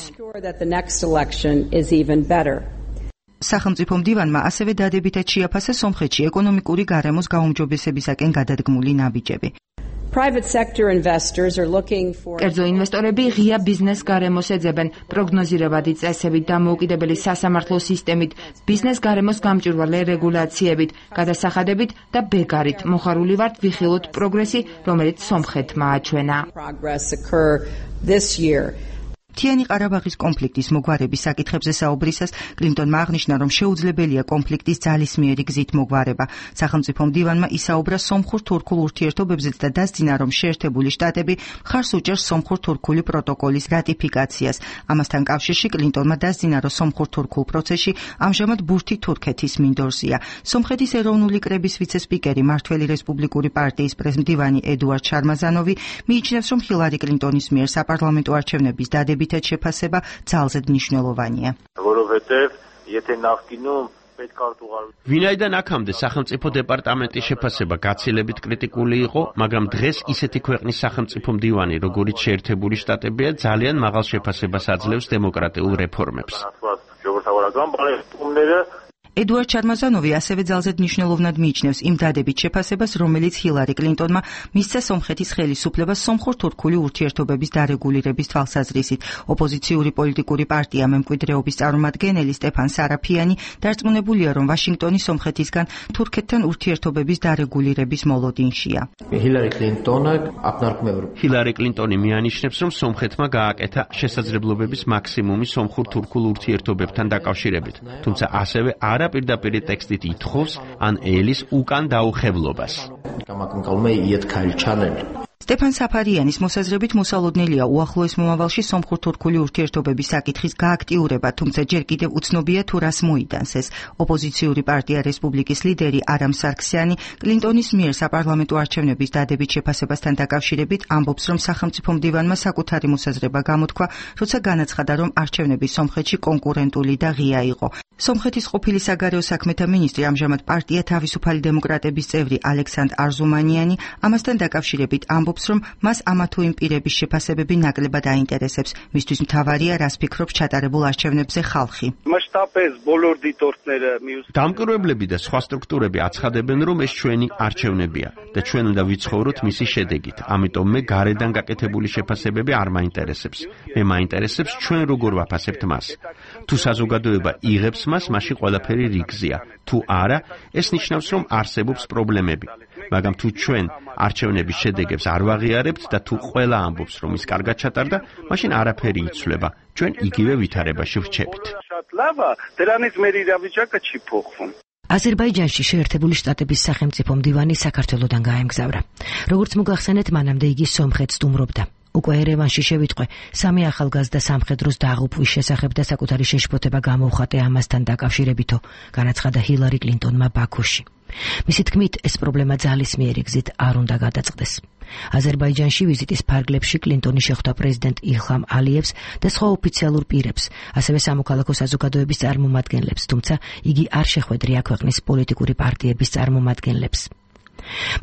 სახელმწიფო მდივანმა ასევე დადებითად შეაფასა სომხეთში ეკონომიკური გარემოს გაუმჯობესებისაკენ გადადგმული ნაბიჯები. Private sector investors are looking for კერძო ინვესტორები ღია ბიზნეს გარემოს ეძებენ, პროგნოზირებადი წესებით, დამოუკიდებელი სასამართლო სისტემით, ბიზნეს გარემოს გამჭვირვალე რეგულაციებით, გადასახადებით და ბეგარით. მოხარული ვართ ვიხილოთ პროგრესი, რომელიც სომხეთმა აჩვენა. მთიანი ყარაბაღის კონფლიქტის მოგვარების საკითხებზე საუბრისას კლინტონმა აღნიშნა, რომ შეუძლებელია კონფლიქტის ძალისმიერი გზით მოგვარება. სახელმწიფო მდივანმა ისაუბრა სომხურ-თურქულ ურთიერთობებზეც და დასძინა, რომ შეერთებული შტატები მხარს უჭერს სომხურ-თურქული პროტოკოლის რატიფიკაციას. ამასთან კავშირში კლინტონმა დასძინა, რომ სომხურ-თურქულ პროცესში ამჟამად ბურთი თურქეთის მინდორზია. სომხეთის ეროვნული კრების ვიცე-სპიკერი, მართველი რესპუბლიკური პარტიის პრეზიდენტი ედუარდ შარმაზანოვი მიიჩნევს, რომ ჰილარი კლინტონის მიერ საპარლამენტო არჩევნების დადებითად შეფასება ძალზედ მნიშვნელოვანია. ვინაიდან აქამდე სახელმწიფო დეპარტამენტის შეფასება გაცილებით კრიტიკული იყო, მაგრამ დღეს ისეთი ქვეყნის სახელმწიფო მდივანი, როგორიც შეერთებული შტატებია, ძალიან მაღალ შეფასებას აძლევს დემოკრატიულ რეფორმებს. ედუარდ შარმაზანოვი ასევე ძალზედ მნიშვნელოვნად მიიჩნევს იმ დადებით შეფასებას, რომელიც ჰილარი კლინტონმა მისცა სომხეთის ხელისუფლებას სომხურ-თურქული ურთიერთობების დარეგულირების თვალსაზრისით. ოპოზიციური პოლიტიკური პარტია მემკვიდრეობის წარმომადგენელი სტეფან სარაფიანი დარწმუნებულია, რომ ვაშინგტონი სომხეთისგან თურქეთთან ურთიერთობების დარეგულირების მოლოდინშია. ჰილარი კლინტონი მიანიშნებს, რომ სომხეთმა გააკეთა შესაძლებლობების მაქსიმუმი სომხურ-თურქულ ურთიერთობებთან დაკავშირებით, თუმცა ასევე არა პირდაპირ ტექსტით ითხოვს ან ელის უკან დაუხებლობას. სტეფან საფარიანის მოსაზრებით მოსალოდნელია უახლოეს მომავალში სომხურ-თურქული ურთიერთობების საკითხის გააქტიურება, თუმცა ჯერ კიდევ უცნობია თუ რას მოიტანს ეს. ოპოზიციური პარტია რესპუბლიკის ლიდერი არამ სარქსიანი კლინტონის მიერ საპარლამენტო არჩევნების დადებით შეფასებასთან დაკავშირებით ამბობს, რომ სახელმწიფო მდივანმა საკუთარი მოსაზრება გამოთქვა, როცა განაცხადა, რომ არჩევნები სომხეთში კონკურენტული და ღია იყო. სომხეთის ყოფილი საგარეო საქმეთა მინისტრი, ამჟამად პარტია თავისუფალი დემოკრატების წევრი ალექსანდრ არზუმანიანი ამასთან დაკავშირებით ამბობს, რომ მას ამა თუ იმ პირების შეფასებები ნაკლებად აინტერესებს. მისთვის მთავარია, რას ფიქრობს ჩატარებულ არჩევნებზე ხალხი. დამკვირვებლები და სხვა სტრუქტურები აცხადებენ, რომ ეს ჩვენი არჩევნებია და ჩვენ უნდა ვიცხოვროთ მისი შედეგით. ამიტომ მე გარედან გაკეთებული შეფასებები არ მაინტერესებს. მე მაინტერესებს ჩვენ როგორ ვაფასებთ მას. თუ საზოგადოება იღებს მას, მაშინ ყველაფერი რიგზია. თუ არა, ეს ნიშნავს, რომ არსებობს პრობლემები. მაგრამ თუ ჩვენ არჩევნების შედეგებს არ ვაღიარებთ და თუ ყველა ამბობს, რომ ის კარგად ჩატარდა, მაშინ არაფერი იცვლება. ჩვენ იგივე ვითარებაში ვრჩებით. აზერბაიჯანში შეერთებული შტატების სახელმწიფო მდივანი საქართველოდან გაემგზავრა. როგორც მოგახსენეთ, მანამდე იგი სომხეთს სტუმრობდა. უკვე ერევანში შევიტყვე სამი ახალგაზრდა სამხედროს დაღუპვის შესახებ და საკუთარი შეშფოთება გამოვხატე ამასთან დაკავშირებითო, განაცხადა ჰილარი კლინტონმა ბაქოში. მისი თქმით, ეს პრობლემა ძალისმიერი გზით არ უნდა გადაწყდეს. აზერბაიჯანში ვიზიტის ფარგლებში კლინტონი შეხვდა პრეზიდენტ ილჰამ ალიევს და სხვა ოფიციალურ პირებს, ასევე სამოქალაქო საზოგადოების წარმომადგენლებს, თუმცა იგი არ შეხვედრია ქვეყნის პოლიტიკური პარტიების წარმომადგენლებს.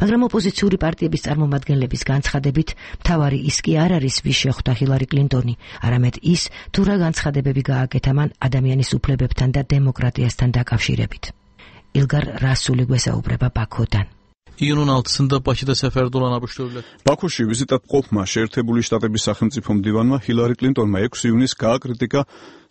მაგრამ ოპოზიციური პარტიების წარმომადგენლების განცხადებით, მთავარი ის კი არ არის, ვის შეხვდა ჰილარი კლინტონი, არამედ ის, თუ რა განცხადებები გააკეთა მან ადამიანის უფლებებთან და დემოკრატიასთან დაკავშირებით. ილგარ რასული გვესაუბრება ბაქოდან. ბაქოში ვიზიტად მყოფმა შეერთებული შტატების სახელმწიფო მდივანმა ჰილარი კლინტონმა 6 ივნისს გააკრიტიკა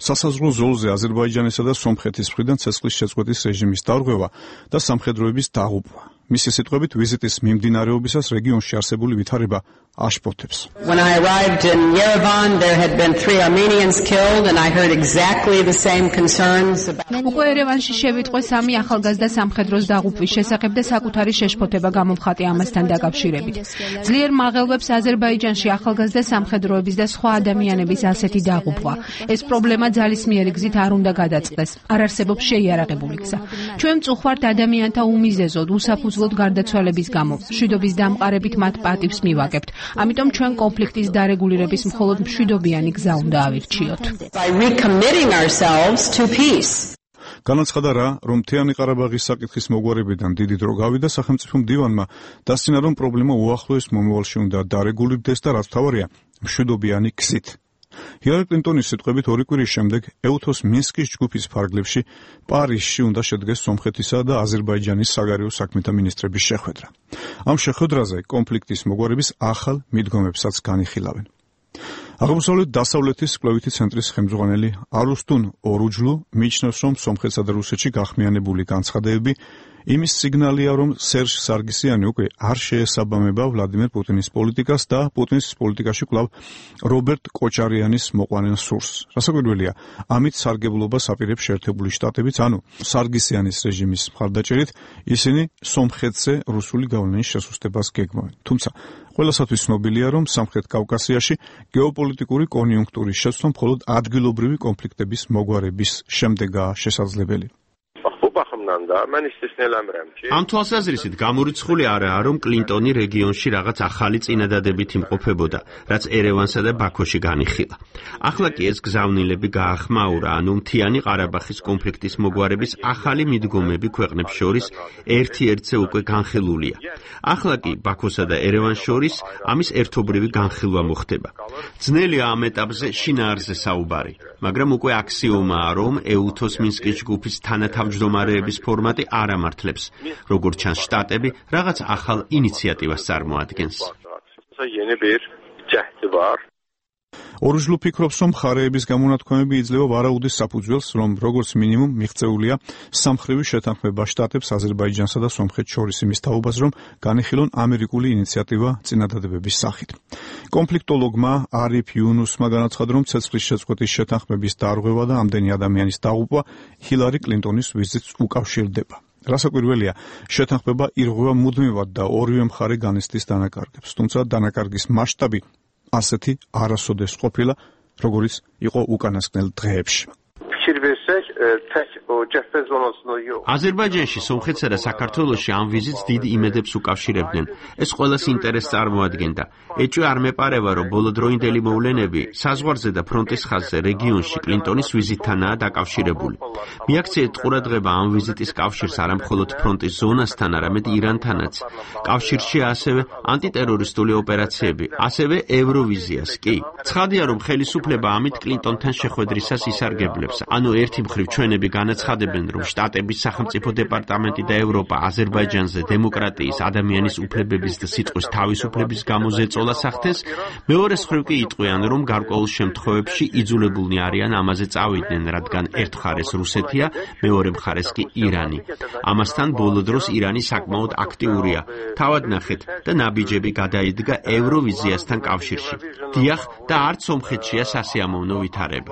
სასაზღვრო ზოლზე აზერბაიჯანისა და სომხეთის მხრიდან ცეცხლის შეწყვეტის რეჟიმის დარღვევა და სამხედროების დაღუპვა. მისი სიტყვებით, ვიზიტის მიმდინარეობისას რეგიონში არსებული ვითარება აშფოთებს. When I arrived in Yerevan, there had been 3 Armenians killed and I heard exactly the same concerns about უკვე ერევანში შევიტყვე სამი ახალგაზრდა სამხედროს დაღუპვის შესახებ და საკუთარი შეშფოთება გამოვხატე ამასთან დაკავშირებით. ძლიერ მაღელვებს აზერბაიჯანში ახალგაზრდა სამხედროების და სხვა ადამიანების ასეთი დაღუპვა. ეს პრობლემა ძალისმიერი გზით არ უნდა გადაწყდეს. არ არსებობს შეიარაღებული გზა. ჩვენ მწუხვართ ადამიანთა უმიზეზოდ, უსაფუძვლოდ გარდაცვალების გამო. მშვიდობის დამყარებით მათ პატივს მივაგებთ. ამიტომ ჩვენ კონფლიქტის დარეგულირების მხოლოდ მშვიდობიანი გზა უნდა ავირჩიოთ. განაცხადა რა, რომ მთიანი ყარაბაღის საკითხის მოგვარებიდან დიდი დრო გავიდა სახელმწიფო მდივანმა, დასცინა, რომ პრობლემა უახლოეს მომავალში უნდა დარეგულირდეს და რაც მთავარია, მშვიდობიანი გზით. ჰილარი კლინტონის სიტყვებით 2 კვირის შემდეგ ეუთოს მინსკის ჯგუფის ფარგლებში პარიზში უნდა შედგეს სომხეთისა და აზერბაიჯანის საგარეო საქმეთა მინისტრების შეხვედრა. ამ შეხვედრაზე კონფლიქტის მოგვარების ახალ მიდგომებსაც განიხილავენ. აღმოსავლეთ-დასავლეთის კვლევითი ცენტრის ხელმძღვანელი არუსტუნ ორუჯლუ მიიჩნევს, რომ სომხეთსა და რუსეთში გახმიანებული განცხადებები იმის სიგნალია, რომ სერჟ სარგისიანი უკვე არ შეესაბამება ვლადიმერ პუტინის პოლიტიკას და პუტინის პოლიტიკაში კვლავ რობერტ კოჩარიანის მოყვანილ სურს. რასაკვირველია, ამით სარგებლობას აპირებს შეერთებული შტატებიც, ანუ სარგისიანის რეჟიმის მხარდაჭერით ისინი სომხეთზე რუსული გავლენის შესუსტებას გეგმავენ. თუმცა ყველასათვის ცნობილია, რომ სამხრეთ კავკასიაში გეოპოლიტიკური კონიუნქტურის შეცვლა მხოლოდ ადგილობრივი კონფლიქტების მოგვარების შემდეგაა შესაძლებელი. ამ თვალსაზრისით გამორიცხული არაა, რომ კლინტონი რეგიონში რაღაც ახალი წინადადებით იმყოფებოდა, რაც ერევანსა და ბაქოში განიხილა. ახლა კი ეს გზავნილები გაახმაურა, ანუ მთიანი ყარაბაღის კონფლიქტის მოგვარების ახალი მიდგომები ქვეყნებს შორის ერთ-ერთზე უკვე განხილულია. ახლა კი ბაქოსა და ერევანს შორის ამის ერთობრივი განხილვა მოხდება. ძნელია ამ ეტაპზე შინაარსზე საუბარი, მაგრამ უკვე აქსიომაა, რომ ეუთოს მინსკის ჯგუფის თანათავმჯდომარეების ფორმატი არ ამართლებს, როგორც ჩანს შტატები რაღაც ახალ ინიციატივას წარმოადგენს. ორუჯლუ ფიქრობს, რომ მხარეების გამონათქვამები იძლევა ვარაუდის საფუძველს, რომ როგორც მინიმუმ მიღწეულია სამხრივი შეთანხმება შტატებს აზერბაიჯანსა და სომხეთს შორის იმის თაობას, რომ განიხილონ ამერიკული ინიციატივა წინადადებების სახით. კონფლიქტოლოგმა არიფ იუნუსმა განაცხადა, რომ ცეცხლის შეწყვეტის შეთანხმების დარღვევა და ამდენი ადამიანის დაღუპვა ჰილარი კლინტონის ვიზიტს უკავშირდება. რასაკვირველია, შეთანხმება ირღვევა მუდმივად და ორივე მხარე განიცდის დანაკარგებს, თუმცა დანაკარგის მასშტაბი ასეთი არასოდეს ყოფილა, როგორც იყო უკანასკნელ დღეებში. აზერბაიჯანში, სომხეთსა და საქართველოში ამ ვიზიტს დიდ იმედებს უკავშირებდნენ. ეს ყველას ინტერესს წარმოადგენდა. ეჭვი არ მეპარება, რომ ბოლოდროინდელი მოვლენები საზღვარზე და ფრონტის ხაზზე რეგიონში კლინტონის ვიზიტთანაა დაკავშირებული. მიაქციეთ ყურადღება ამ ვიზიტის კავშირს არა მხოლოდ ფრონტის ზონასთან, არამედ ირანთანაც. კავშირშია ასევე ანტიტერორისტული ოპერაციები, ასევე ევროვიზიას კი. ცხადია, რომ ხელისუფლება ამით კლინტონთან შეხვედრისას ისარგებლებს. ანუ ერთი მხრივ ჩვენები განაცხადებენ, რომ შტატების სახელმწიფო დეპარტამენტი და ევროპა აზერბაიჯანზე დემოკრატიის, ადამიანის უფლებების და სიტყვის თავისუფლების გამო ზეწოლას ახდენს, მეორე მხრივ კი იტყვიან, რომ გარკვეულ შემთხვევებში იძულებულნი არიან ამაზე წავიდნენ, რადგან ერთ მხარეს რუსეთია, მეორე მხარეს კი ირანი. ამასთან ბოლო დროს ირანი საკმაოდ აქტიურია. თავად ნახეთ და ნაბიჯები გადაიდგა ევროვიზიასთან კავშირში. დიახ, და არც სომხეთშია სასიამოვნო ვითარება.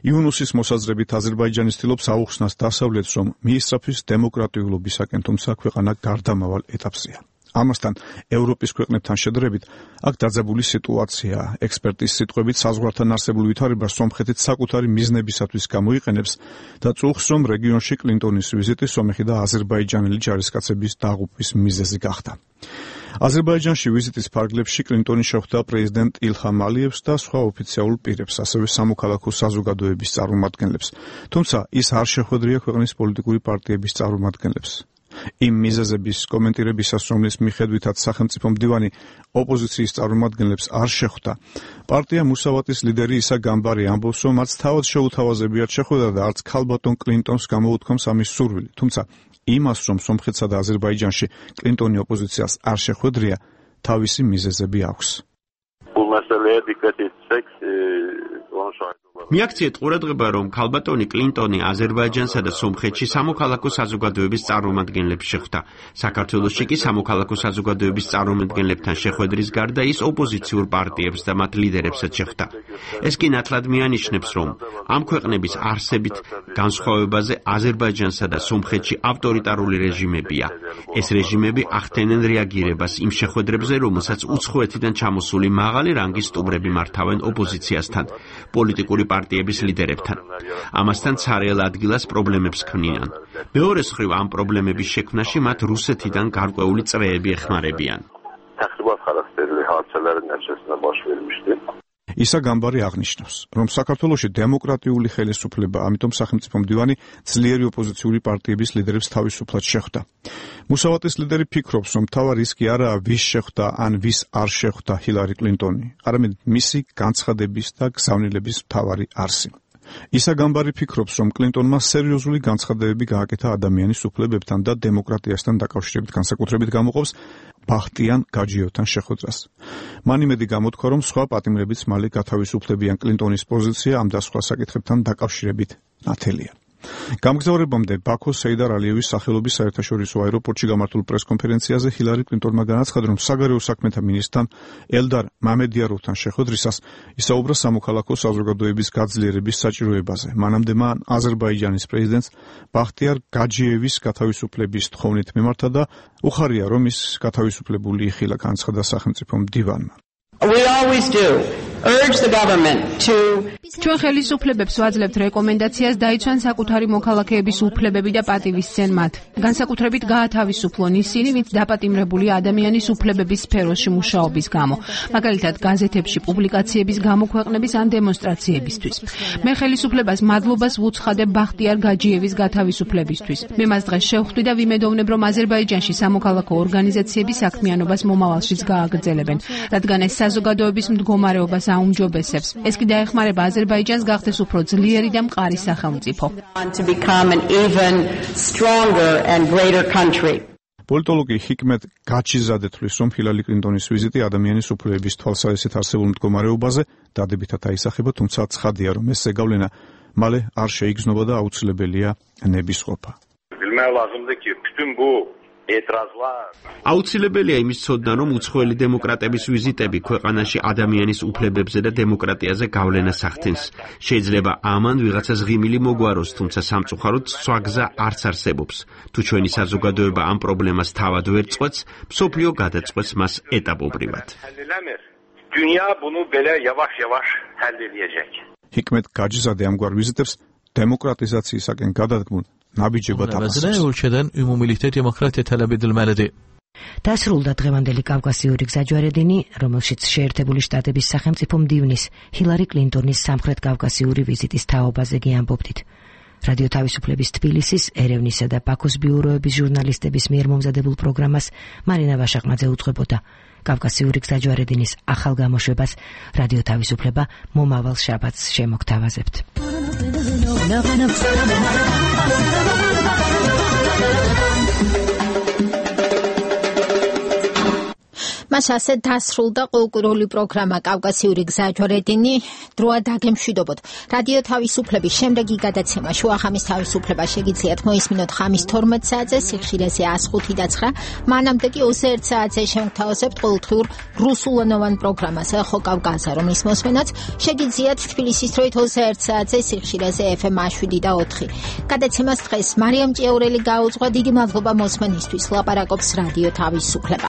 იუნუსის მოსაზრებით აზერბაიჯანი ცდილობს აუხსნას დასავლეთს, რომ მიისწრაფვის დემოკრატიულობისაკენ, თუმცა ქვეყანა გარდამავალ ეტაპზეა. ამასთან ევროპის ქვეყნებთან შედარებით აქ დაძაბული სიტუაციაა. ექსპერტის სიტყვებით საზღვართან არსებულ ვითარებას სომხეთიც საკუთარი მიზნებისათვის გამოიყენებს და წუხს, რომ რეგიონში კლინტონის ვიზიტი სომეხი და აზერბაიჯანელი ჯარისკაცების დაღუპვის მიზეზი გახდა. აზერბაიჯანში ვიზიტის ფარგლებში კლინტონი შეხვდა პრეზიდენტ ილჰამ ალიევს და სხვა ოფიციალურ პირებს, ასევე სამოქალაქო საზოგადოების წარმომადგენლებს. თუმცა ის არ შეხვედრია ქვეყნის პოლიტიკური პარტიების წარმომადგენლებს. იმ მიზეზების კომენტირებისას, რომლის მიხედვითაც სახელმწიფო მდივანი ოპოზიციის წარმომადგენლებს არ შეხვდა, პარტია მუსავატის ლიდერი ისა გამბარი ამბობს, რომ მათ თავად შეუთავაზებიათ შეხვედრა და არც ქალბატონ კლინტონს გამოუთქვამს ამის სურვილი. თუმცა იმას, რომ სომხეთსა და აზერბაიჯანში კლინტონი ოპოზიციას არ შეხვედრია, თავისი მიზეზები აქვს. მიაქციეთ ყურადღება, რომ ქალბატონი კლინტონი აზერბაიჯანსა და სომხეთში სამოქალაქო საზოგადოების წარმომადგენლებს შეხვდა. საქართველოში კი სამოქალაქო საზოგადოების წარმომადგენლებთან შეხვედრის გარდა ის ოპოზიციურ პარტიებს და მათ ლიდერებსაც შეხვდა. ეს კი ნათლად მიანიშნებს, რომ ამ ქვეყნების არსებით განსხვავებაზე აზერბაიჯანსა და სომხეთში ავტორიტარული რეჟიმებია. ეს რეჟიმები ახდენენ რეაგირებას იმ შეხვედრებზე, რომელსაც უცხოეთიდან ჩამოსული მაღალი რანგის სტუმრები მართავენ ოპოზიციასთან, პოლიტიკური პარტიების ლიდერებთან. ამასთან ცარიელ ადგილას პრობლემებს ქმნიან. მეორე მხრივ ამ პრობლემების შექმნაში მათ რუსეთიდან გარკვეული წრეები ეხმარებიან. ისა გამბარი აღნიშნავს, რომ საქართველოში დემოკრატიული ხელისუფლება, ამიტომ სახელმწიფო მდივანი ძლიერი ოპოზიციური პარტიების ლიდერებს თავისუფლად შეხვდა. მუსავატის ლიდერი ფიქრობს, რომ მთავარი ის კი არაა ვის შეხვდა ან ვის არ შეხვდა ჰილარი კლინტონი, არამედ მისი განცხადების და გზავნილების მთავარი არსი. ისა გამბარი ფიქრობს, რომ კლინტონმა სერიოზული განცხადებები გააკეთა ადამიანის უფლებებთან და დემოკრატიასთან დაკავშირებით, განსაკუთრებით გამოყოფს ბახტიან გაჯიევთან შეხვედრას. მან იმედი გამოთქვა, რომ სხვა პატიმრებიც მალე გათავისუფლებიან კლინტონის პოზიცია ამ და სხვა საკითხებთან დაკავშირებით ნათელია. გამგზავრებამდე ბაქოს სეიდარ ალიევის სახელობის საერთაშორისო აეროპორტში გამართულ პრესკონფერენციაზე ჰილარი კლინტონმა განაცხადა, რომ საგარეო საქმეთა მინისტრთან ელდარ მამედიაროვთან შეხვედრისას ისაუბრა სამოქალაქო საზოგადოების გაძლიერების საჭიროებაზე. მანამდე მან აზერბაიჯანის პრეზიდენტს ბახტიარ გაჯიევის გათავისუფლების თხოვნით მიმართა და უხარია, რომ ის გათავისუფლებული იხილა, განცხადა სახელმწიფო მდივანმა. We always do. Urge the government to ჩვენ ხელისუფლებებს ვაძლევთ რეკომენდაციას დაიცვან საკუთარი მოქალაქეების უფლებები და პატივისცენ მათ. განსაკუთრებით გაათავისუფლონ ისინი, ვინც დაპატიმრებული ადამიანის უფლებების სფეროში მუშაობის გამო, მაგალითად გაზეთებში პუბლიკაციების გამოქვეყნების ან დემონსტრაციებისთვის. მე ხელისუფლებას მადლობას ვუცხადებ ბახტიარ გაჯიევის გათავისუფლებისთვის. მე მას დღეს შევხვდი და ვიმედოვნებ, რომ აზერბაიჯანში სამოქალაქო ორგანიზაციები საქმიანობას მომავალშიც გააგრძელებენ, რადგან ეს საზოგადოების მდგომარეობას აუმჯობესებს. ეს კი დაეხმარება აზერბაიჯანს გახდეს უფრო ძლიერი და მყარი სახელმწიფო. პოლიტოლოგი ჰიკმეთ გაჩიზადე თვლის, რომ ჰილარი კლინტონის ვიზიტი ადამიანის უფლებების თვალსაზრისით არსებულ მდგომარეობაზე დადებითად აისახება, თუმცა ცხადია, რომ ეს ზეგავლენა მალე არ შეიგრძნობა და აუცილებელია ნებისყოფა. აუცილებელია იმის ცოდნა, რომ უცხოელი დემოკრატების ვიზიტები ქვეყანაში ადამიანის უფლებებზე და დემოკრატიაზე გავლენას ახდენს. შეიძლება ამან ვიღაცას ღიმილი მოგვაროს, თუმცა სამწუხაროდ სვაგზა არც არსებობს. თუ ჩვენი საზოგადოება ამ პრობლემას თავად ვერ წყვეტს, მსოფლიო გადაწყვეტს მას ეტაპობრივად. ჰიკმეთ გაჯიზადე ამგვარ ვიზიტებს დემოკრატიზაციისაკენ გადადგმულ ნაბიჯებად აფასებს. დასრულდა დღევანდელი კავკასიური გზაჯვარედინი, რომელშიც შეერთებული შტატების სახელმწიფო მდივნის ჰილარი კლინტონის სამხრეთ კავკასიური ვიზიტის თაობაზე გიამბობდით. რადიო თავისუფლების თბილისის, ერევნისა და ბაქოს ბიუროების ჟურნალისტების მიერ მომზადებულ პროგრამას მარინა ვაშაყმაძე უძღვებოდა. კავკასიური გზაჯვარედინის ახალ გამოშვებას რადიო თავისუფლება მომავალ შაბათს შემოგთავაზებთ. მას ასე დასრულდა ყოველკვირეული პროგრამა კავკასიური გზაჯვარედინი. დროა დაგემშვიდობოთ. რადიო თავისუფლების შემდეგი გადაცემა შუახამის თავისუფლება შეგიძლიათ მოისმინოთ ხამის 12 საათზე სიხშირეზე 105.9. მანამდე კი 21 საათზე შევთავაზებთ ყოველდღიურ რუსულენოვან პროგრამას ეხო კავკასია, რომლის მოსმენაც შეგიძლიათ თბილისის დროით 21 საათზე სიხშირეზე FM 7.4. გადაცემას დღეს მარიამ ჭიაურელი გაუძღვა. დიდი მადლობა მოსმენისთვის. ლაპარაკობს რადიო თავისუფლება.